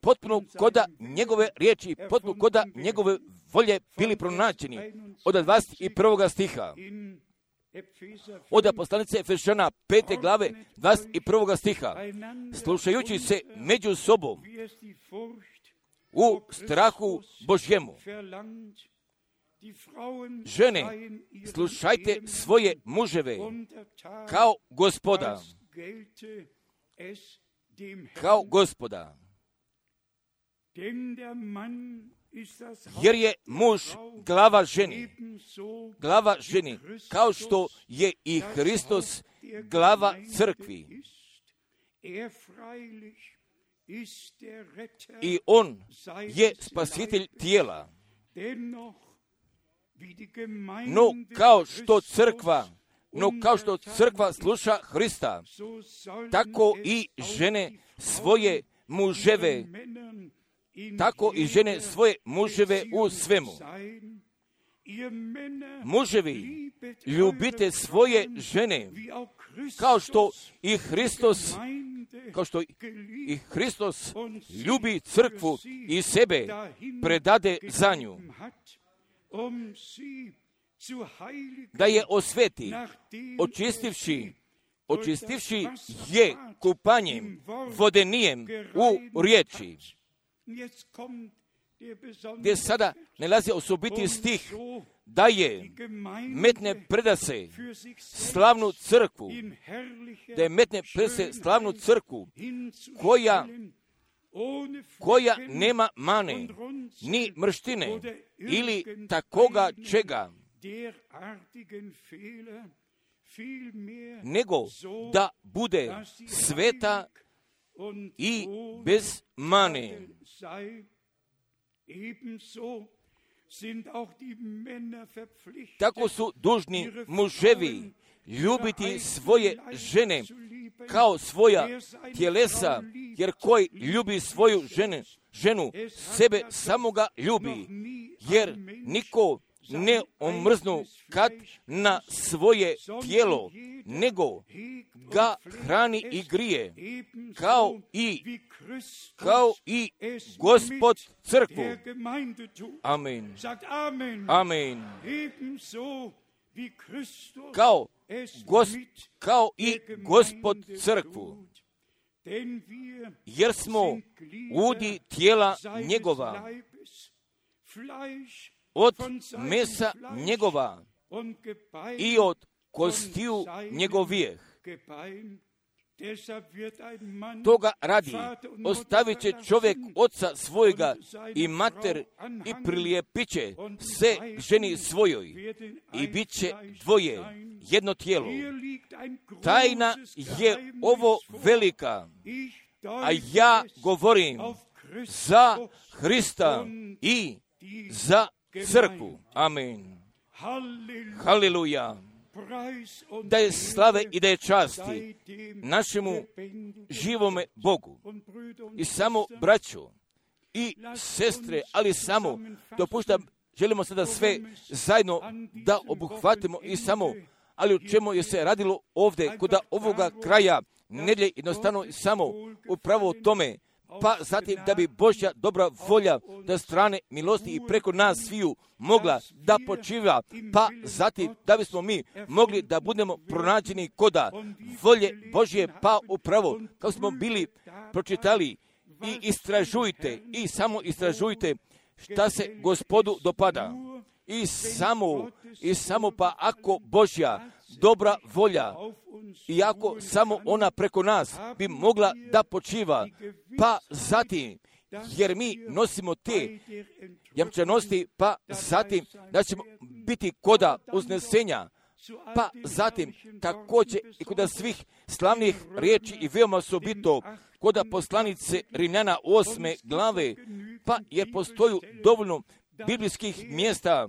S1: potpuno koda njegove riječi, potpuno koda njegove volje bili pronađeni. Od dvadeset prvog stiha. Od poslanice Efešana pete glave dvadeset prvog stiha. Slušajući se među sobom u strahu Božjemu. Žene, slušajte svoje muževe kao Gospoda. Kao Gospoda. Jer je muž glava ženi, glava ženi, kao što je i Hristos glava crkvi. I on je spasitelj tijela. No kao što crkva, no kao što crkva sluša Hrista, tako i žene svoje muževe, tako i žene svoje muževe u svemu. Muževi, ljubite svoje žene, kao što i Hristos, kao što i Hristos ljubi crkvu i sebe predade za nju, da je osveti, očistivši, očistivši je kupanjem vodenijem u riječi. Gdje sada nalazi osobiti stih, da je metne predase slavnu crkvu, da je metne predase slavnu crkvu, koja, koja nema mane, ni mrštine, ili takoga čega, nego da bude sveta i bez mane. Tako su dužni muževi ljubiti svoje žene kao svoja tjelesa, jer koji ljubi svoju žene, ženu, sebe samoga ljubi, jer niko ne omrznu kad na svoje tijelo, nego ga hrani i grije, kao i, kao i Gospod crkvu. Amen. Amen. Kao, gos, kao i Gospod crkvu. Jer smo udi tijela njegova, od mesa njegova i od kostiju njegovijeh. Toga radi ostavit će čovjek oca svojega i mater i prilijepit će se ženi svojoj i bit će dvoje, jedno tijelo. Tajna je ovo velika, a ja govorim za Hrista i za crkvu. Amen. Haleluja. Da je slave i da je časti našemu živome Bogu. I samo braćo i sestre, ali samo dopuštam, želimo sada sve zajedno da obuhvatimo i samo, ali u čemu je se radilo ovdje kod ovoga kraja nedjelje, jednostavno samo upravo tome, pa zatim da bi Božja dobra volja da strane milosti i preko nas sviju mogla da počiva, pa zatim da bismo mi mogli da budemo pronađeni koda volje Božje, pa upravo kao smo bili pročitali i istražujte i samo istražujte šta se Gospodu dopada. I samo, i samo pa ako Božja dobra volja i ako samo ona preko nas bi mogla da počiva, pa zatim, jer mi nosimo te jamčanosti, pa zatim da ćemo biti koda uznesenja, pa zatim također i kod svih slavnih riječi i veoma osobito kod poslanice Rimljana osme glave, pa jer postoju dovoljno biblijskih mjesta,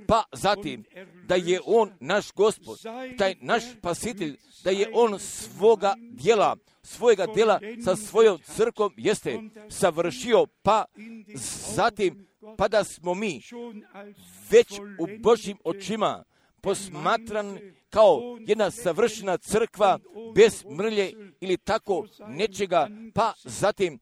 S1: pa zatim da je on naš Gospod, taj naš spasitelj, da je on svoga djela, svojega djela sa svojom crkvom jeste savršio, pa zatim pa da smo mi već u Božjim očima posmatran kao jedna savršena crkva bez mrlje ili tako nečega, pa zatim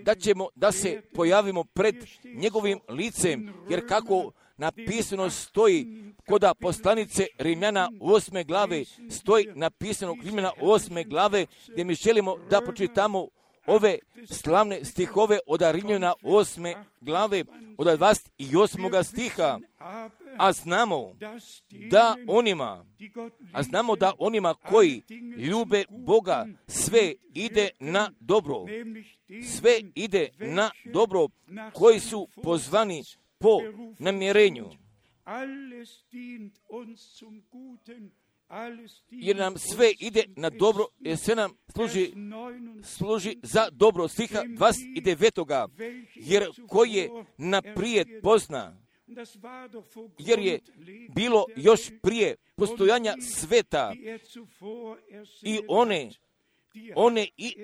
S1: da ćemo da se pojavimo pred njegovim licem, jer kako napisano stoji koda poslanice Rimljana osme glave, stoji napisano Rimljana osme glave, gdje mi želimo da pročitamo ove slavne stihove od Rimljana osme glave, od dvadeset osmog stiha. A znamo da onima, a znamo da onima koji ljube Boga sve ide na dobro, sve ide na dobro, koji su pozvani po namjerenju. Jer nam sve ide na dobro, jer sve nam služi, služi za dobro. Stiha dvadeset devetoga jer koji je naprijed pozna, jer je bilo još prije postojanja sveta i one, one i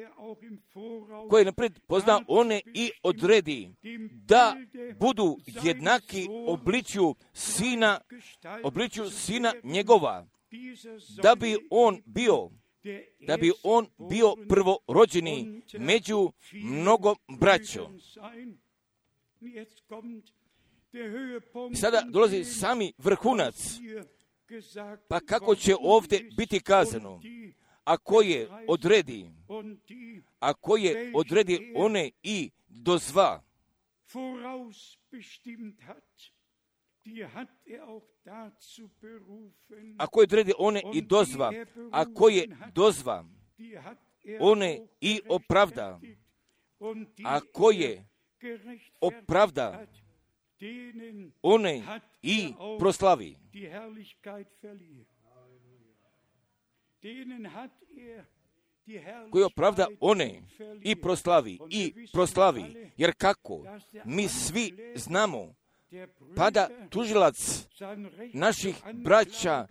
S1: koje naprijed pozna, one i odredi da budu jednaki obličju sina, obličju sina njegova, da bi on bio, da bi on bio prvorođeni među mnogo braćom. I sada dolazi sami vrhunac, pa kako će ovdje biti kazano, ako je odredi, ako je odredi one i dozva, ako je odredi one i dozva, ako je dozva, one i opravda, ako je opravda, one i proslavi. Koji opravda one i proslavi, i proslavi, jer kako mi svi znamo, pa da tužilac naših braća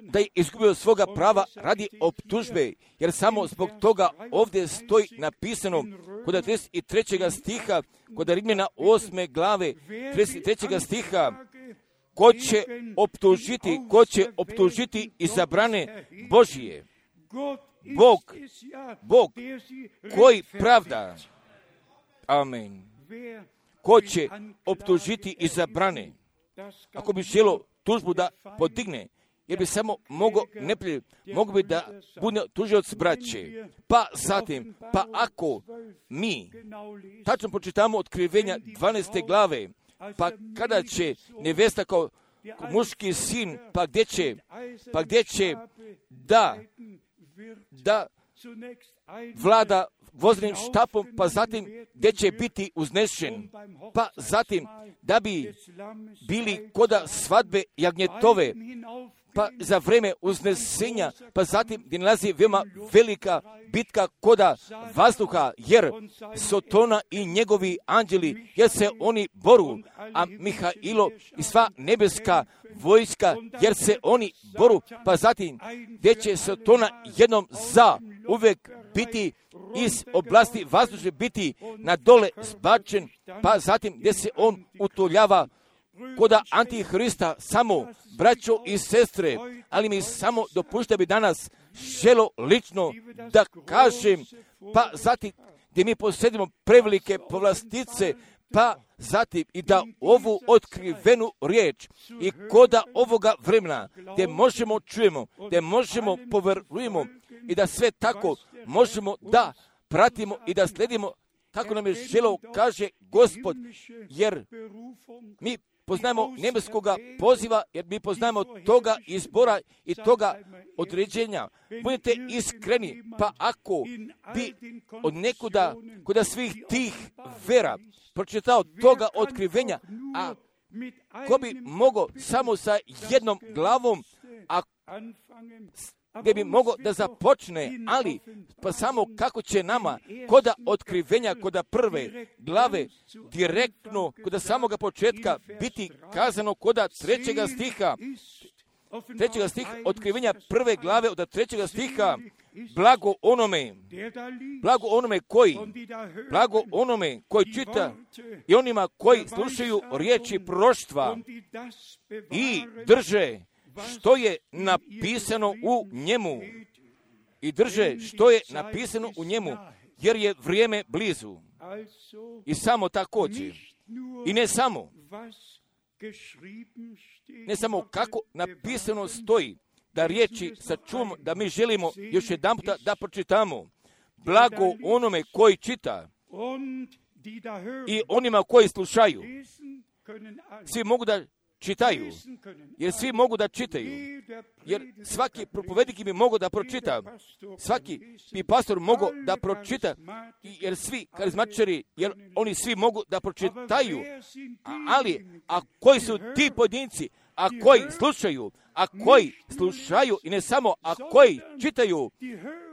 S1: da je izgubio svoga prava radi optužbe, jer samo zbog toga ovdje stoji napisano kod trideset trećeg stiha, kod Rimljana osme glave, trideset trećeg stiha, ko će optužiti, ko će optužiti izabrane Božije? Bog, Bog koji pravda. Amen. Ko će optužiti izabrane? Ako bi želo tužbu da podigne, jer bi samo mogo neprijatelj, mogo bi da bude tužioc braće. Pa zatim, pa ako mi tačno pročitamo Otkrivenja dvanaeste glave, pa kada će nevesta kao muški sin, pa gdje će, pa gdje će da, da vlada voznim štapom, pa zatim gdje će biti uznešen, pa zatim da bi bili koda svadbe jagnjetove, pa za vreme uznesenja, pa zatim gdje nalazi veoma velika bitka koda vazduha, jer Sotona i njegovi anđeli, jer se oni boru, a Mihailo i sva nebeska vojska, jer se oni boru, pa zatim gdje će Sotona jednom za uvek biti iz oblasti vazdušne biti na dole zbačen, pa zatim gdje se on utoljava koda Antihrista, samo braćo i sestre, ali mi samo dopušta bi danas želo lično da kažem, pa zatim gdje mi posjedimo prevelike povlastice, pa zatim i da ovu otkrivenu riječ i koda ovoga vremena gdje možemo čujemo, gdje možemo poverujemo i da sve tako možemo da pratimo i da sledimo kako nam je želo, kaže Gospod, jer mi poznajemo nebeskoga poziva, jer mi poznajemo toga izbora i toga određenja. Budite iskreni, pa ako bi od nekuda, kod svih tih vera, pročitao toga otkrivenja, a ko bi mogao samo sa jednom glavom, a gdje bi mogao da započne, ali pa samo kako će nama koda otkrivenja, koda prve glave, direktno, koda samoga početka biti kazano koda trećega stiha, trećega stiha, otkrivenja prve glave od trećega stiha, blago onome, blago onome koji, blago onome koji čita i onima koji slušaju riječi proroštva i drže što je napisano u njemu. I drže što je napisano u njemu, jer je vrijeme blizu. I samo također, i ne samo, ne samo kako napisano stoji, da riječi sačuvamo, da mi želimo još jedan puta da pročitamo. Blago onome koji čita i onima koji slušaju. Svi mogu da čitaju, jer svi mogu da čitaju, jer svaki propovednik bi mogao da pročita, svaki bi pastor mogao da pročita, jer svi karizmatičari, jer oni svi mogu da pročitaju, ali a koji su ti pojedinci, a koji slušaju, a koji slušaju i ne samo, a koji čitaju,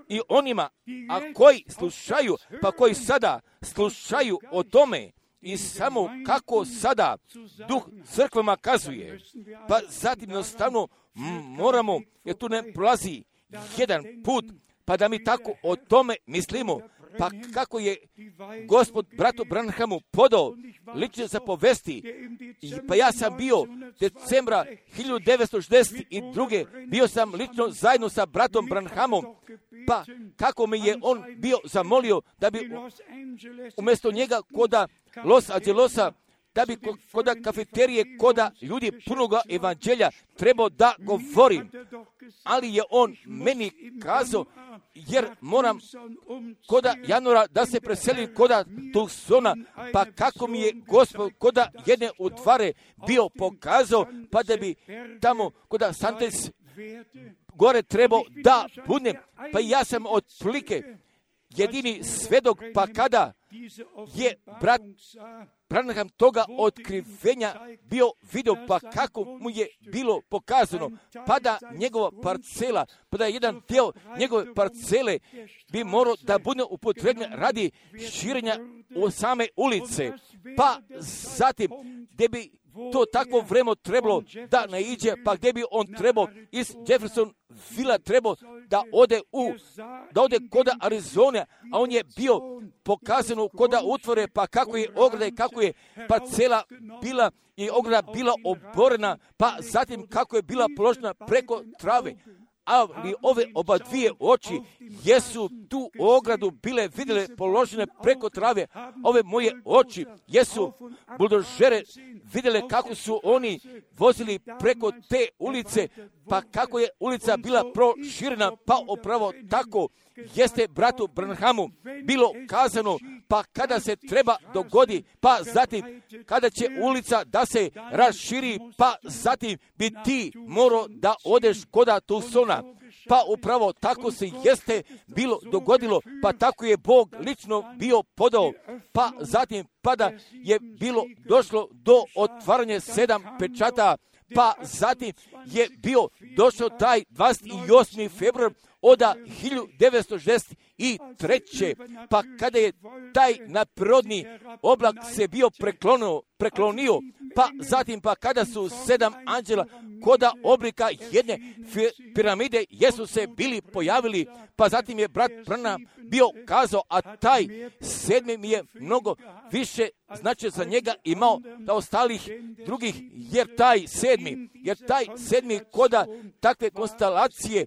S1: i onima, a koji slušaju, pa koji sada slušaju o tome, i samo kako sada duh crkvama kazuje, pa zatim jednostavno moramo, jer tu ne prolazi jedan put, pa da mi tako o tome mislimo, pa kako je Gospod bratu Branhamu podao lično zapovesti, pa ja sam bio decembra hiljadu devetsto šezdeset druge bio sam lično zajedno sa bratom Branhamom, pa kako mi je on bio zamolio da bi umjesto njega koda Los Angelosa, da bi koda kafeterije, koda ljudi punoga evanđelja trebao da govorim, ali je on meni kazao, jer moram koda januara da se preselim koda Tucsona, pa kako mi je Gospod koda jedne utvare bio pokazao, pa da bi tamo koda Santes gore trebao da budem, pa ja sam otprilike jedini svedok, pa kada je brat Branham toga otkrivenja bio vidio, pa kako mu je bilo pokazano, pa da njegova parcela, pa da jedan dio njegove parcele bi morao da bude upotrebljen radi širenja u same ulice, pa zatim gdje bi to takvo vreme trebalo da naiđe, pa gdje bi on trebao iz Jeffersonville trebao da ode u, da ode kod Arizone, a on je bio pokazano kod utvore, pa kako je ograda i kako je parcela bila i ograda bila oborena, pa zatim kako je bila položena preko trave. Ali ove oba dvije oči jesu tu ogradu bile vidjele položene preko trave. Ove moje oči jesu buldožere vidjele kako su oni vozili preko te ulice, pa kako je ulica bila proširena, pa upravo tako jeste bratu Branhamu bilo kazano, pa kada se treba dogodi, pa zatim kada će ulica da se raširi, pa zatim bi ti morao da odeš koda Tucsona. Pa upravo tako se jeste bilo dogodilo, pa tako je Bog lično bio podao, pa zatim pada je bilo došlo do otvaranja sedam pečata, pa zatim je bio došao taj dvadeset osmi februar od hiljadu devetsto šezdeset treće. Pa kada je taj nadprirodni oblak se bio preklonio, preklonio, pa zatim pa kada su sedam anđela koda oblika jedne piramide jesu se bili pojavili, pa zatim je brat Branham bio kazao, a taj sedmi mi je mnogo više znači za njega imao da ostalih drugih, jer taj sedmi, jer taj sedmi koda takve konstelacije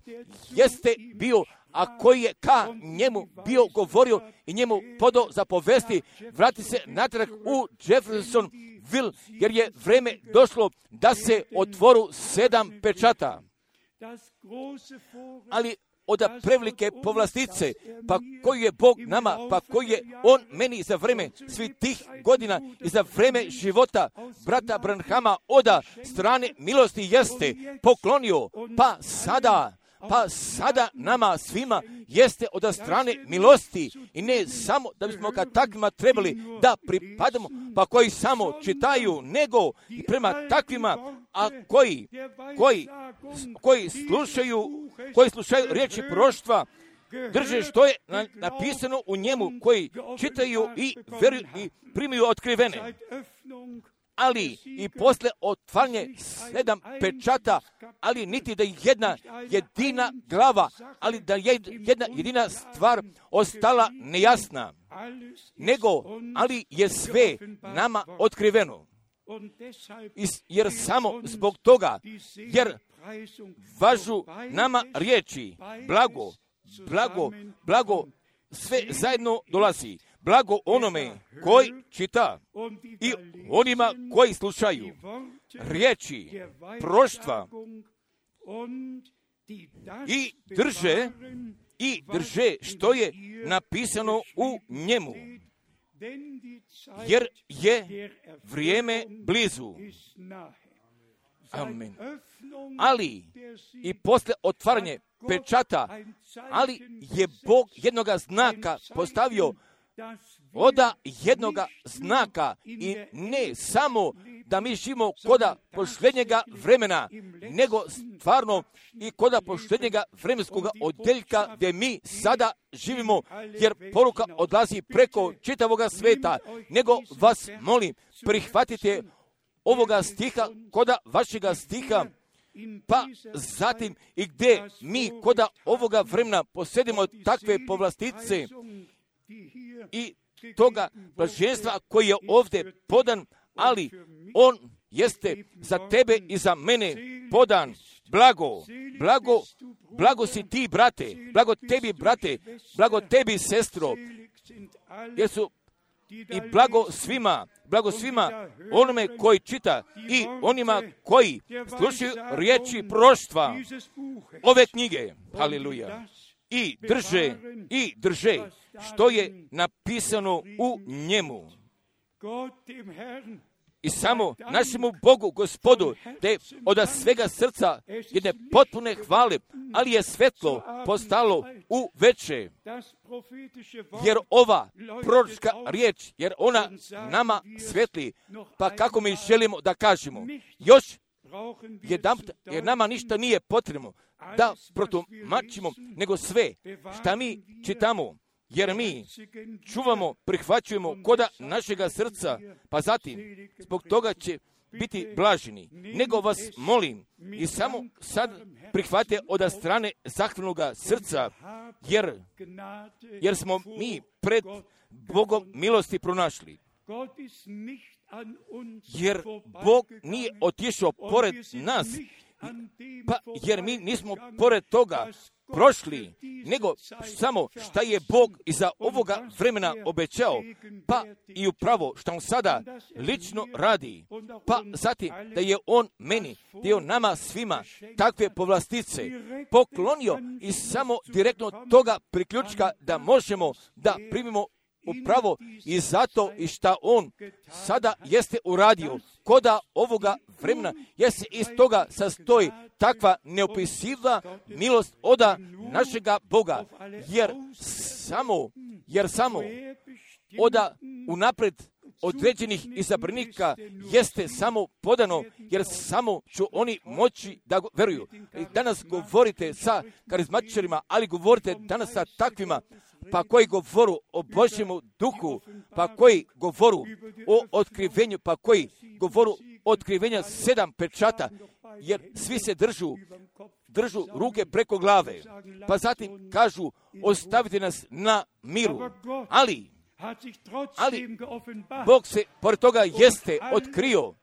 S1: jeste bio, a koji je ka njemu bio govorio i njemu podao za povesti, vrati se natrag u Jeffersonville, jer je vreme došlo da se otvoru sedam pečata. Ali od prevelike povlastice, pa koju je Bog nama, pa koji je On meni za vreme svih tih godina i za vreme života brata Branhama od strane milosti jeste poklonio, pa sada, pa sada nama svima jeste od strane milosti i ne samo da bismo ka takvima trebali da pripadamo, pa koji samo čitaju, nego i prema takvima, a koji, koji, koji slušaju, koji slušaju riječi proroštva, drže što je napisano u njemu, koji čitaju i veruju i primaju otkrivene. Ali i posle otvaranje sedam pečata, ali niti da jedna jedina glava, ali da je jedna jedina stvar ostala nejasna, nego, ali je sve nama otkriveno. Jer samo zbog toga, jer važu nama riječi, blago, blago, blago, sve zajedno dolazi. Blago onome koji čita i onima koji slušaju riječi proroštva i drže i drže što je napisano u njemu, jer je vrijeme blizu. Amen. Ali i posle otvaranje pečata, ali je Bog jednoga znaka postavio, oda jednoga znaka, i ne samo da mi živimo koda posljednjega vremena, nego stvarno i koda posljednjega vremenskog odjeljka gdje mi sada živimo, jer poruka odlazi preko čitavoga sveta, nego vas molim, prihvatite ovoga stiha koda vašega stiha, pa zatim i gdje mi koda ovoga vremena posjedimo takve povlastice i toga blaženstva koji je ovdje podan, ali on jeste za tebe i za mene podan. Blago, blago, blago si ti, brate, blago tebi, brate, blago tebi, sestro, jer su i blago svima, blago svima onome koji čita i onima koji slušaju riječi proroštva ove knjige. Haleluja. I drže, i drže što je napisano u njemu. I samo našemu Bogu, Gospodu, da je od svega srca jedne potpune hvale, ali je svetlo postalo u veče. Jer ova proročka riječ, jer ona nama svetli, pa kako mi želimo da kažemo, još jedan, jer nama ništa nije potrebno da protumačimo, nego sve šta mi čitamo, jer mi čuvamo, prihvaćujemo koda našega srca, pa zatim zbog toga će biti blaženi, nego vas molim i samo sad prihvate od strane zahvalnoga srca, jer, jer smo mi pred Bogom milosti pronašli. Jer Bog nije otišao pored nas, pa jer mi nismo pored toga prošli, nego samo šta je Bog iza ovoga vremena obećao, pa i upravo što on sada lično radi, pa zatim da je on meni, da je on nama svima takve povlastice poklonio i samo direktno toga priključka da možemo da primimo upravo i zato i šta on sada jeste uradio koda ovoga vremena, jer se iz toga sastoji takva neopisiva milost oda našega Boga, jer samo, jer samo oda unapred određenih izabranika jeste samo podano, jer samo ću oni moći da go, veruju. I danas govorite sa karizmatičarima, ali govorite danas sa takvima, pa koji govoru o Božjemu duhu, pa koji govoru o otkrivenju, pa koji govoru otkrivenja sedam pečata, jer svi se držu, držu ruke preko glave, pa zatim kažu ostavite nas na miru, ali, ali Bog se pored toga jeste otkrio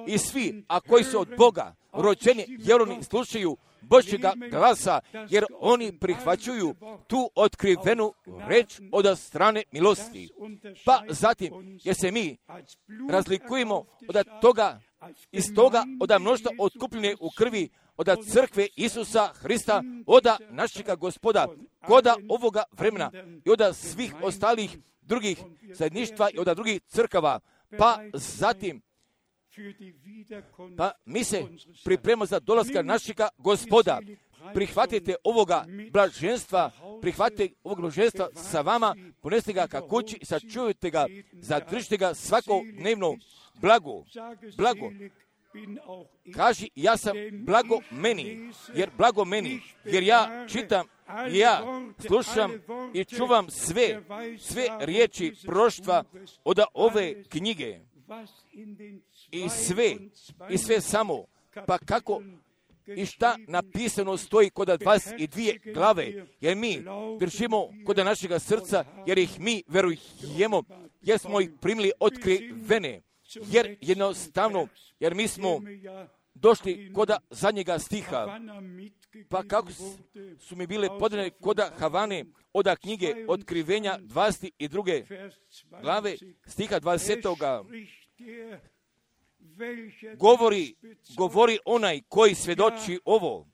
S1: i svi, a koji su od Boga rođeni, jer oni slušaju Božjega glasa, jer oni prihvaćuju tu otkrivenu reč od strane milosti. Pa zatim, jer se mi razlikujemo od toga, iz toga, od mnoštva otkupljene u krvi, od crkve Isusa Hrista, od našega Gospoda, koda ovoga vremena i od svih ostalih drugih zajedništva i od drugih crkava. Pa zatim, pa mi se pripremamo za dolaska našega Gospoda. Prihvatite ovoga blaženstva, prihvatite ovog blaženstva sa vama, poneste ga ka kući i sačuvajte ga, zadržite ga svakodnevno blago, blago. Kaži, ja sam blago meni, jer blago meni, jer ja čitam, ja slušam i čuvam sve, sve riječi proštva od ove knjige. I sve, i sve samo, pa kako i šta napisano stoji kod dvadeset dvije glave, jer mi držimo kod našega srca, jer ih mi verujemo, jer smo ih primili otkrivene, jer jednostavno, jer mi smo došli kod zadnjega stiha, pa kako su mi bile podane kod Havane od knjige otkrivenja dvadeset druge glave, stiha dvadesetoga Govori, govori onaj koji svjedoči ovo,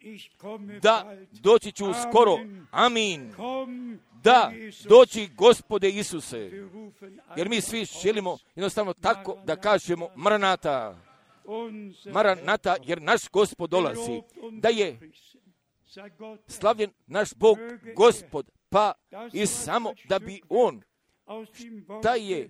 S1: da doći ću skoro, amin, da doći Gospode Isuse, jer mi svi želimo jednostavno tako da kažemo Maranata, Maranata, jer naš Gospod dolazi, da je slavljen naš Bog, Gospod, pa i samo da bi On, da je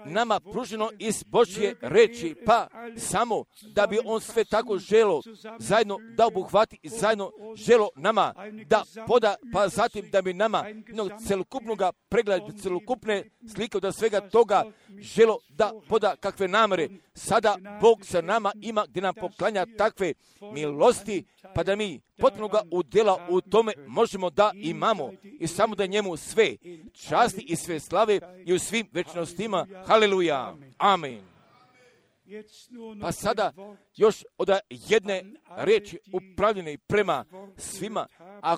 S1: nama pruženo iz Božje reči, pa samo da bi on sve tako želo zajedno da obuhvati i zajedno želo nama da poda, pa zatim da bi nama jednog celokupnog pregleda, celokupne slike od svega toga želo da poda kakve namere. Sada Bog sa nama ima gdje nam poklanja takve milosti, pa da mi potpunoga udjela u tome možemo da imamo i samo da njemu sve časti i sve slave i u svim večnostima. Haleluja. Amen. Pa sada još od jedne riječi upravljene prema svima, a,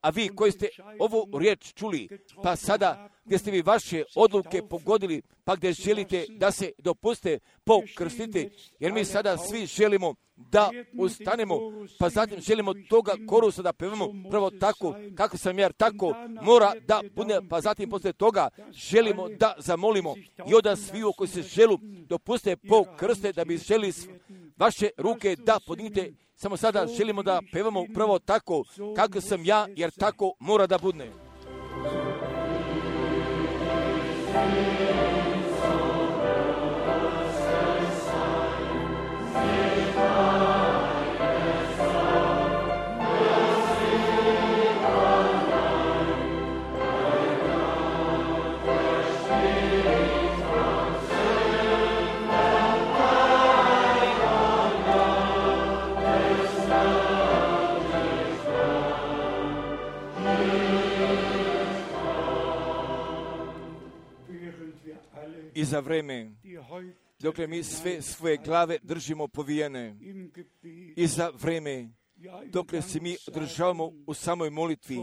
S1: a vi koji ste ovu riječ čuli, pa sada gdje ste vi vaše odluke pogodili, pa gdje želite da se dopuste pokrstiti, jer mi sada svi želimo da ustanemo, pa zatim želimo toga korusa da pevamo prvo tako, kako sam ja, tako mora da bude, pa zatim poslije toga želimo da zamolimo i od sviju koji se želu dopuste pokrste, da bi želi vaše ruke da podignite. Samo sada želimo da pevamo prvo tako, kako sam ja, jer tako mora da bude.
S2: Amen.
S1: i za vreme dokle mi sve svoje glave držimo povijene i za vreme dokle se mi održavamo u samoj molitvi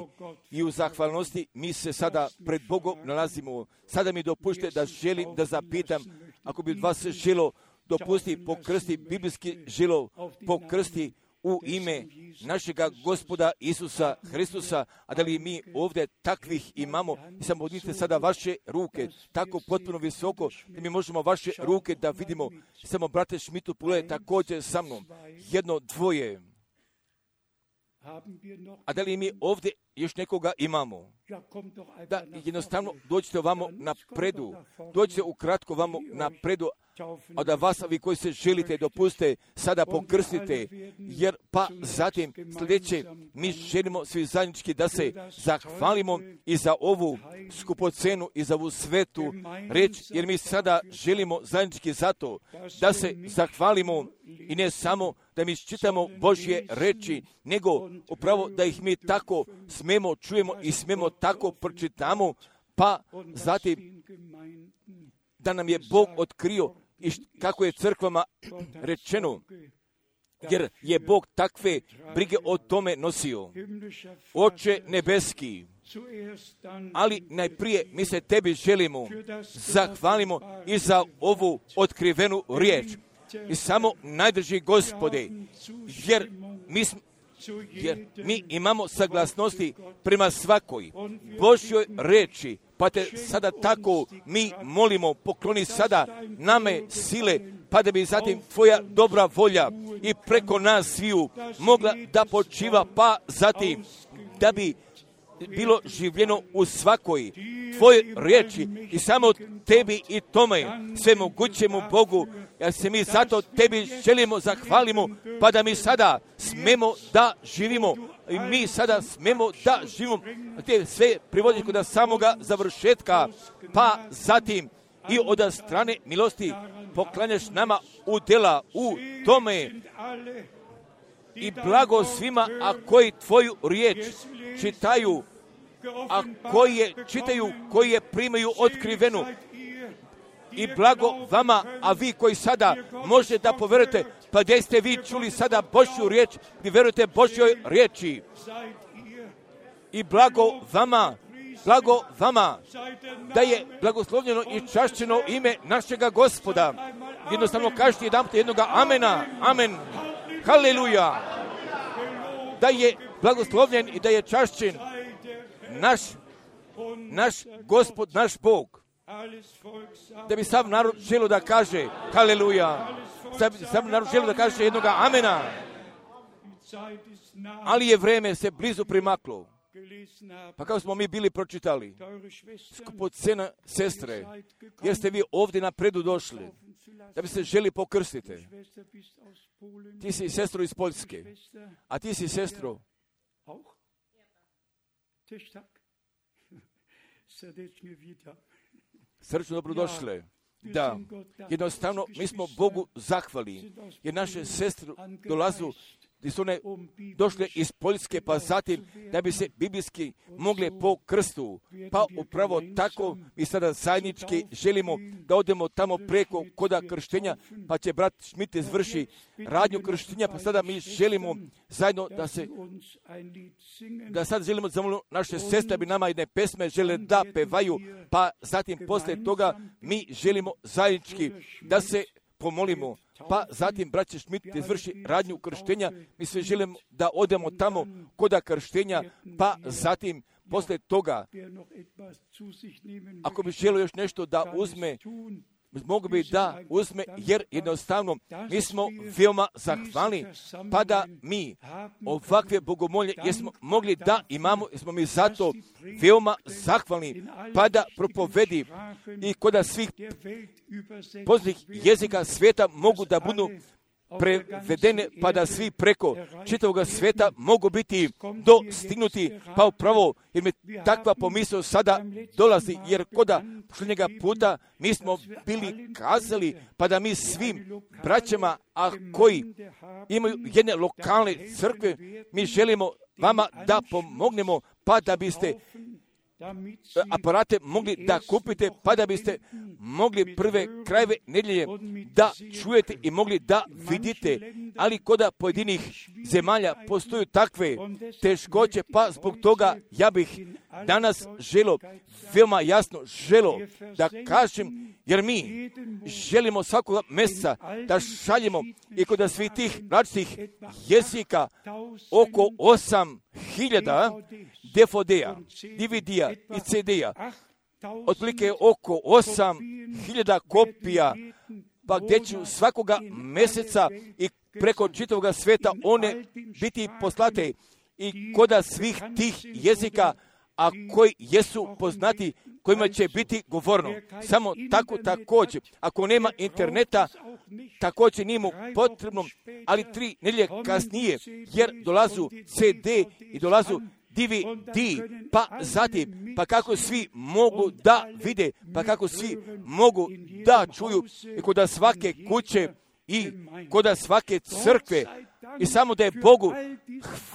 S1: i u zahvalnosti, mi se sada pred Bogom nalazimo. Sada mi dopušte da želim da zapitam, ako bi od vas želo dopusti pokrsti, biblijski želo pokrsti u ime našega Gospoda Isusa Hristusa, a da li mi ovdje takvih imamo? I samo odnite sada vaše ruke, tako potpuno visoko, da mi možemo vaše ruke da vidimo. I samo, brate Šmitu, pogledaj također sa mnom. Jedno, dvoje. A da li mi ovdje još nekoga imamo? Da, jednostavno dođite ovamo napredu. Dođite ukratko ovamo napredu, a da vas, vi koji se želite, dopustite, sada pokrstite, jer pa zatim sljedeće, mi želimo svi zajednički da se zahvalimo i za ovu skupocenu i za ovu svetu reč, jer mi sada želimo zajednički zato da se zahvalimo i ne samo da mi čitamo Božje reči, nego upravo da ih mi tako smemo čujemo i smemo tako pročitamo, pa zatim da nam je Bog otkrio i kako je crkvama rečeno, jer je Bog takve brige o tome nosio. Oče nebeski, ali najprije mi se tebi želimo, zahvalimo i za ovu otkrivenu riječ. I samo najdrži Gospode, jer mi smo jer mi imamo saglasnosti prema svakoj Božjoj reči, pa te sada tako mi molimo, pokloni sada name sile, pa da bi zatim tvoja dobra volja i preko nas sviju mogla da počiva, pa zatim da bi bilo življeno u svakoj tvojoj riječi i samo tebi i tome svemogućemu Bogu, jer se mi zato tebi želimo, zahvalimo, pa da mi sada smemo da živimo i mi sada smemo da živimo te sve privodiš kod samoga završetka, pa zatim i od strane milosti poklanjaš nama u dela u tome i blago svima, a koji tvoju riječ čitaju, a koji je čitaju, koji je primaju otkrivenu, i blago vama, a vi koji sada možete da poverujete, pa gdje ste vi čuli sada Božju riječ, gdje verujete Božjoj riječi, i blago vama, blago vama, da je blagoslovljeno i čašćeno ime našega Gospoda. Jednostavno kažete jedan put jednoga amena, amen, haleluja, da je blagoslovljen i da je čašćen naš, naš Gospod, naš Bog. Da bi sav narod želio da kaže haleluja, sav narod želio da kaže jednoga amena, ali je vreme se blizu primaklo. Pa kako smo mi bili pročitali, skupocena sestre, jer ste vi ovdje napredu došli, da bi se želi pokrstiti. Ti si sestro iz Poljske, a ti si sestro srčno dobrodošle. Da, jednostavno mi smo Bogu zahvali, jer naše sestre dolazu, gdje su one došle iz Poljske, pa zatim da bi se biblijski mogle po krstu. Pa upravo tako mi sada zajednički želimo da odemo tamo preko koda krštenja, pa će brat Šmit izvrši radnju krštenja, pa sada mi želimo zajedno da se, da sad želimo zamoliti naše sestre, da bi nama jedne pesme žele da pevaju, pa zatim poslije toga mi želimo zajednički da se pomolimo. Pa zatim, braće Šmit, izvrši radnju krštenja, mi sve želimo da odemo tamo koda krštenja, pa zatim, poslije toga, ako bi želio još nešto da uzme, mogu bi da uzme, jer jednostavno mi smo veoma zahvalni, pa da mi ovakve bogomolje jesmo mogli da imamo, jesmo mi zato veoma zahvalni, pa da propovedi i koda svih poznatih jezika svijeta mogu da budu prevedene, pa da svi preko čitavog svijeta mogu biti dostignuti, pa upravo jer mi takva pomisao sada dolazi, jer koda posljednjega puta mi smo bili kazali, pa da mi svim braćama, a koji imaju jedne lokalne crkve, mi želimo vama da pomognemo, pa da biste aparate mogli da kupite, pa da biste mogli prve krajeve nedjelje da čujete i mogli da vidite, ali kod pojedinih zemalja postoju takve teškoće, pa zbog toga ja bih danas želo, veoma jasno želo da kažem, jer mi želimo svakoga mjeseca da šaljemo i kod svih tih različitih jezika oko osam hiljada D V D-a, D V D-a i C D-a, otprilike oko osam hiljada kopija, pa gdje ću svakoga mjeseca i preko čitavoga svijeta one biti poslate i kod svih tih jezika, a koji jesu poznati, kojima će biti govorno. Samo tako također, ako nema interneta, također nije mu potrebno, ali tri nedjelje kasnije, jer dolazu C D i dolazu D V D, pa zatim, pa kako svi mogu da vide, pa kako svi mogu da čuju i kod svake kuće i kod svake crkve. I samo da je Bogu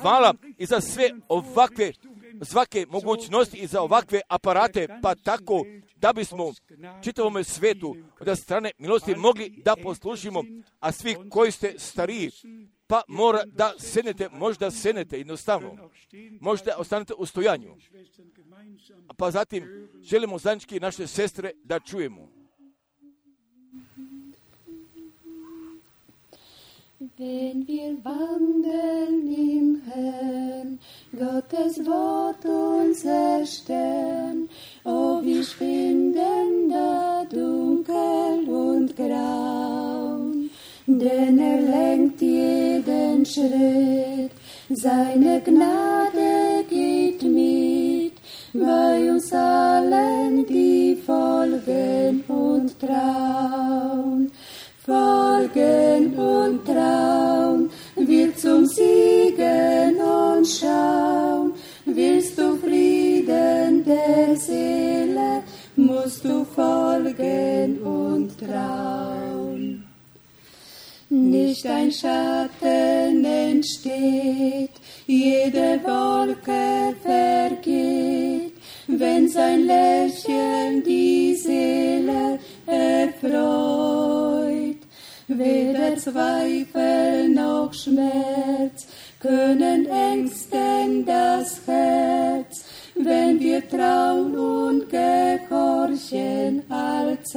S1: hvala i za sve ovakve svake mogućnosti i za ovakve aparate, pa tako da bismo čitavom svijetu od strane milosti mogli da poslušimo, a svi koji ste stariji, pa mora da sednete, možda sednete jednostavno, možda ostanete u stojanju, pa zatim želimo zajednički naše sestre da čujemo.
S2: Wenn wir wandeln im Herrn, Gottes Wort unser Stern, oh, wir schwinden da dunkel und graun, denn er lenkt jeden Schritt, seine Gnade geht mit, bei uns allen, die folgen und trauen. Folgen und trauen, wir zum Siegen und schauen. Willst du Frieden der Seele, musst du folgen und trauen. Nicht ein Schatten entsteht, jede Wolke vergeht, wenn sein Lächeln die Seele erfreut. Weder Zweifel noch Schmerz können ängsten das Herz, wenn wir trauen und gehorchen allzeit.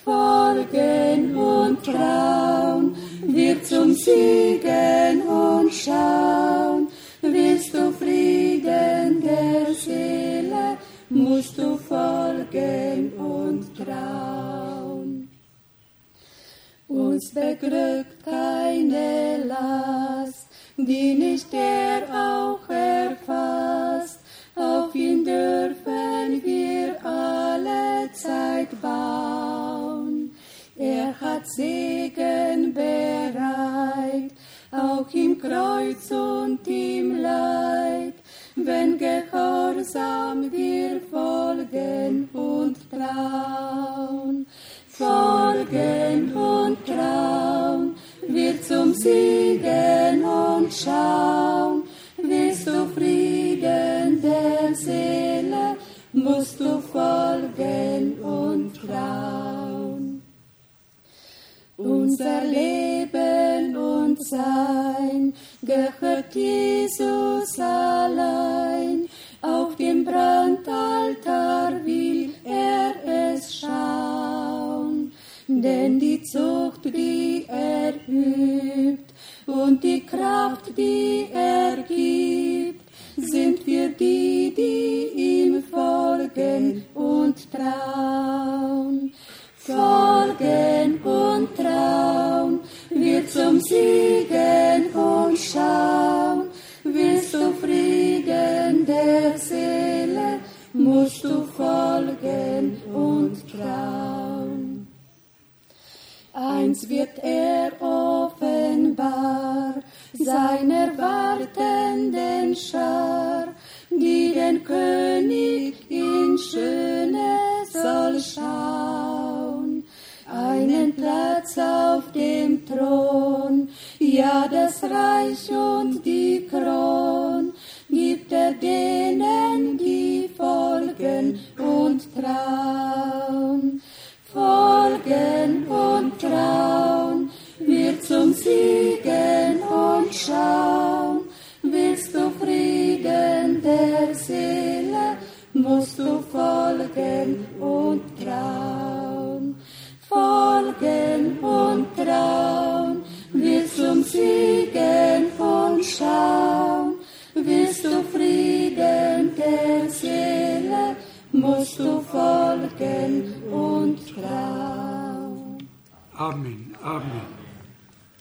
S2: Folgen und trauen, wir zum Siegen und schauen. Willst du Frieden der Seele, musst du folgen und trauen. Uns beglückt keine Last, die nicht er auch erfasst. Auf ihn dürfen wir alle Zeit bauen. Er hat Segen bereit, auch im Kreuz und im Leid, wenn gehorsam wir folgen und trauen. Folgen und trauen, wir zum Siegen und schauen. Willst du Frieden der Seele, musst du folgen und trauen. Unser Leben und Sein gehört Jesus allein. Auf dem Brandaltar will er es schauen. Denn die Zucht, die er übt, und die Kraft, die er gibt, sind für die, die ihm folgen und trauen. Folgen und trauen, wir zum Siegen und schauen. Willst du Frieden der Seele, musst du folgen und trauen. Eins wird er offenbar, seiner wartenden Schar, die den König in Schöne soll schauen. Einen Platz auf dem Thron, ja das Reich und die Kron, gibt er denen, folgen und trauen, folgen und trauen, wird zum Siegen und schauen. Willst du Frieden der Seele, musst du folgen und trauen, folgen und trauen, wird zum Siegen und schauen. Willst du Frieden der Seele, musst du folgen und trauen.
S3: Amen, Amen.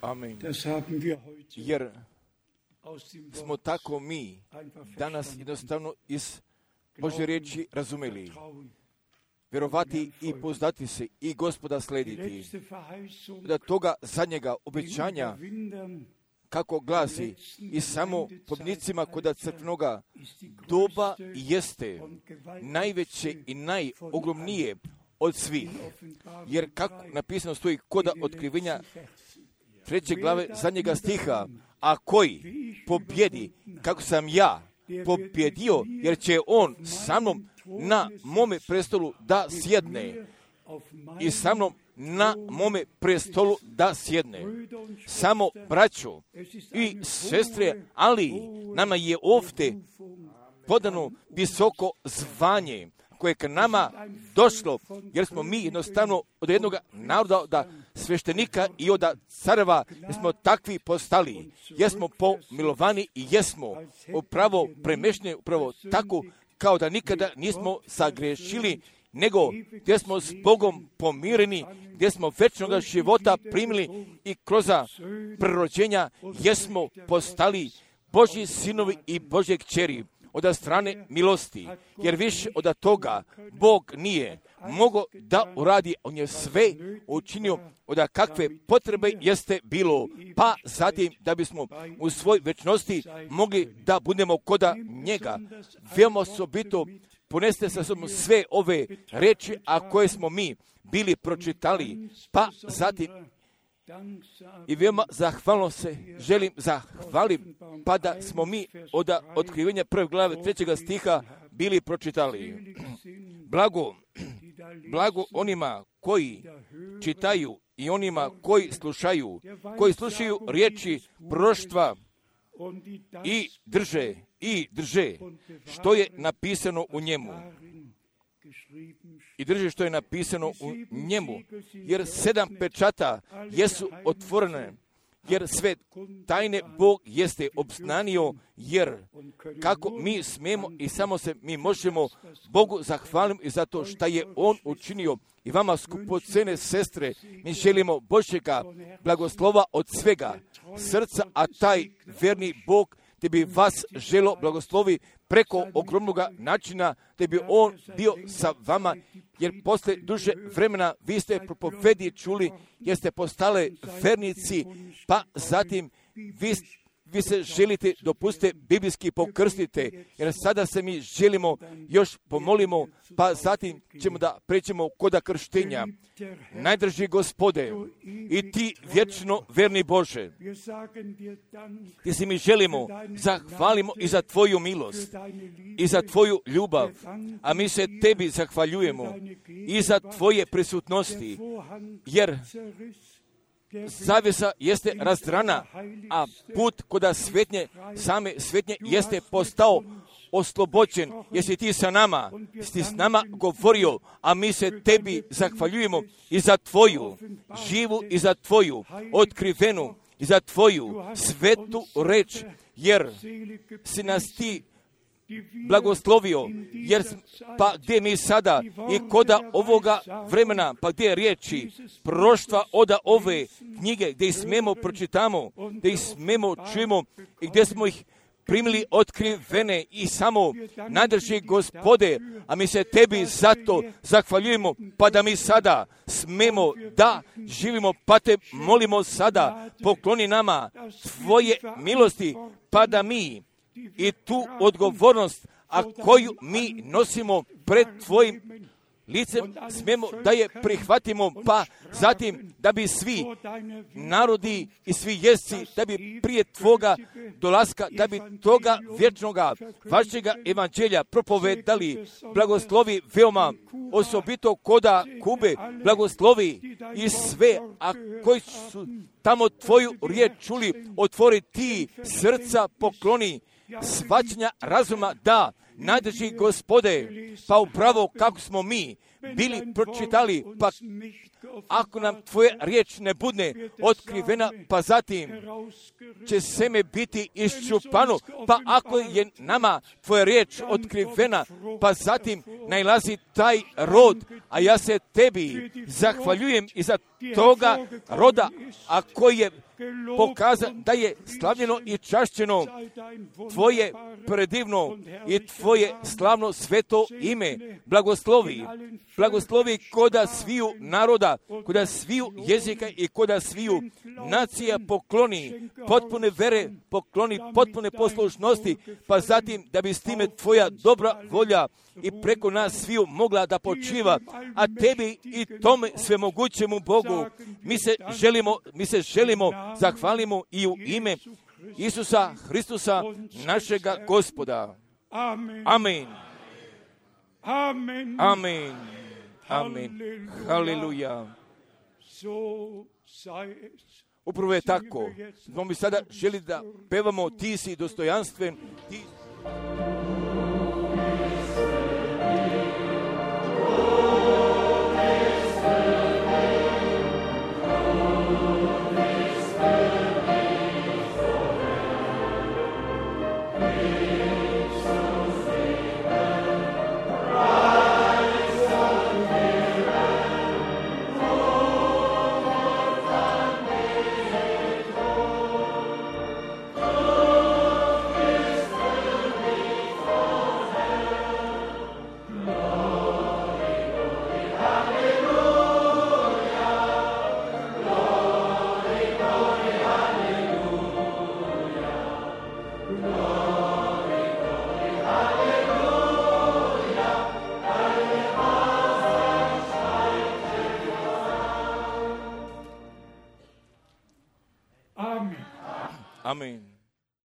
S1: Amen.
S3: Das haben wir heute
S1: Jer
S3: aus dem
S1: smo
S3: Wort
S1: tako mi
S3: einfach
S1: danas
S3: verstanden.
S1: jednostavno iz Božje riječi razumeli.
S3: Vertrauen.
S1: Vjerovati i poznati se i Gospoda
S3: Die
S1: slediti.
S3: letzte Verheißung
S1: Da toga zadnjega
S3: den
S1: obećanja,
S3: Überwindern
S1: kako glasi, i samo pobjednicima koda crkvenoga doba jeste najveće i najogromnije od svih. Jer kako napisano stoji koda otkrivenja treće glave zadnjega stiha, a koji pobjedi, kako sam ja pobjedio, jer će on sa mnom na mome prestolu da sjedne i sa mnom na mome prestolu da sjedne. Samo braćo i sestre, ali nama je ovdje podano visoko zvanje koje je k nama došlo, jer smo mi jednostavno od jednog naroda, od sveštenika i od careva, jer smo takvi postali, jesmo pomilovani i jesmo upravo premešni, upravo tako kao da nikada nismo sagrešili, nego gdje smo s Bogom pomireni, gdje smo večnog života primili i kroz prerođenja jesmo postali Božji sinovi i Božje kćeri od strane milosti, jer više od toga Bog nije mogao da uradi, on je sve učinio od kakve potrebe jeste bilo, pa zatim da bismo u svoj večnosti mogli da budemo koda njega. Veoma osobito poneste sa sobom sve ove reči, a koje smo mi bili pročitali, pa zatim i veoma zahvalno se želim zahvalim, pa da smo mi od otkrivenja prve glave trećega stiha bili pročitali. Blago, blago onima koji čitaju i onima koji slušaju, koji slušaju riječi proroštva i drže, i drže što je napisano u njemu. I drži što je napisano u njemu, jer sedam pečata jesu otvorene, jer sve tajne Bog jeste obznanio, jer kako mi smemo i samo se mi možemo Bogu zahvaliti i za to što je On učinio. I vama skupocene sestre, mi želimo Božjega blagoslova od svega srca, a taj verni Bog te bi vas želo blagoslovi preko ogromnog načina, te bi on bio sa vama, jer posle duže vremena vi ste propovedi čuli, jer ste postale vernici, pa zatim vi, vi se želite dopustite biblijski pokrstite, jer sada se mi želimo još pomolimo, pa zatim ćemo da prećemo koda krštenja. Najdrži Gospode i ti vječno verni Bože, ti si mi želimo, zahvalimo i za tvoju milost i za tvoju ljubav, a mi se tebi zahvaljujemo i za tvoje prisutnosti, jer zavjesa jeste razdrana, a put koda svetnje, same svetnje jeste postao oslobođen, jesi ti sa nama, si s nama govorio, a mi se tebi zahvaljujemo i za tvoju živu i za tvoju otkrivenu i za tvoju svetu reč, jer si nas ti blagoslovio, jer pa gdje mi sada i koda ovoga vremena, pa gdje je riječi proroštva oda ove knjige, gdje ih smemo pročitamo, gdje ih smemo čujemo i gdje smo ih primili otkrivene i samo najdrži Gospode, a mi se tebi zato zahvaljujemo, pa da mi sada smemo da živimo, pa te molimo sada, pokloni nama tvoje milosti, pa da mi i tu odgovornost, a koju mi nosimo pred tvojim licem smijemo da je prihvatimo, pa zatim da bi svi narodi i svi jezici, da bi prije Tvoga dolaska, da bi toga vječnoga, vašega evanđelja propovedali, blagoslovi veoma, osobito koda Kube, blagoslovi i sve, a koji su tamo Tvoju riječ čuli, otvori Ti srca, pokloni, shvaćanja razuma da, najdraži Gospode, pa upravo kako smo mi bili pročitali, pa ako nam Tvoja riječ ne bude otkrivena, pa zatim će seme biti iščupano, pa ako je nama Tvoja riječ otkrivena, pa zatim najlazi taj rod, a ja se Tebi zahvaljujem i za toga roda, a koji je pokazan da je slavljeno i čašćeno Tvoje predivno i Tvoje slavno sveto ime. Blagoslovi, blagoslovi koda sviju naroda, koda sviju jezika i koda sviju nacija pokloni potpune vere, pokloni potpune poslušnosti, pa zatim da bi s time Tvoja dobra volja i preko nas sviju mogla da počiva, a Tebi i tome svemogućemu Bogu mi se želimo, mi se želimo zahvalimo i u ime Isusa Hristusa, našega Gospoda. Amen.
S3: Amen.
S1: Amen. Amen. Haleluja. Upravo je tako. Smo mi sada želi da pevamo Ti si dostojanstven, Ti Amen.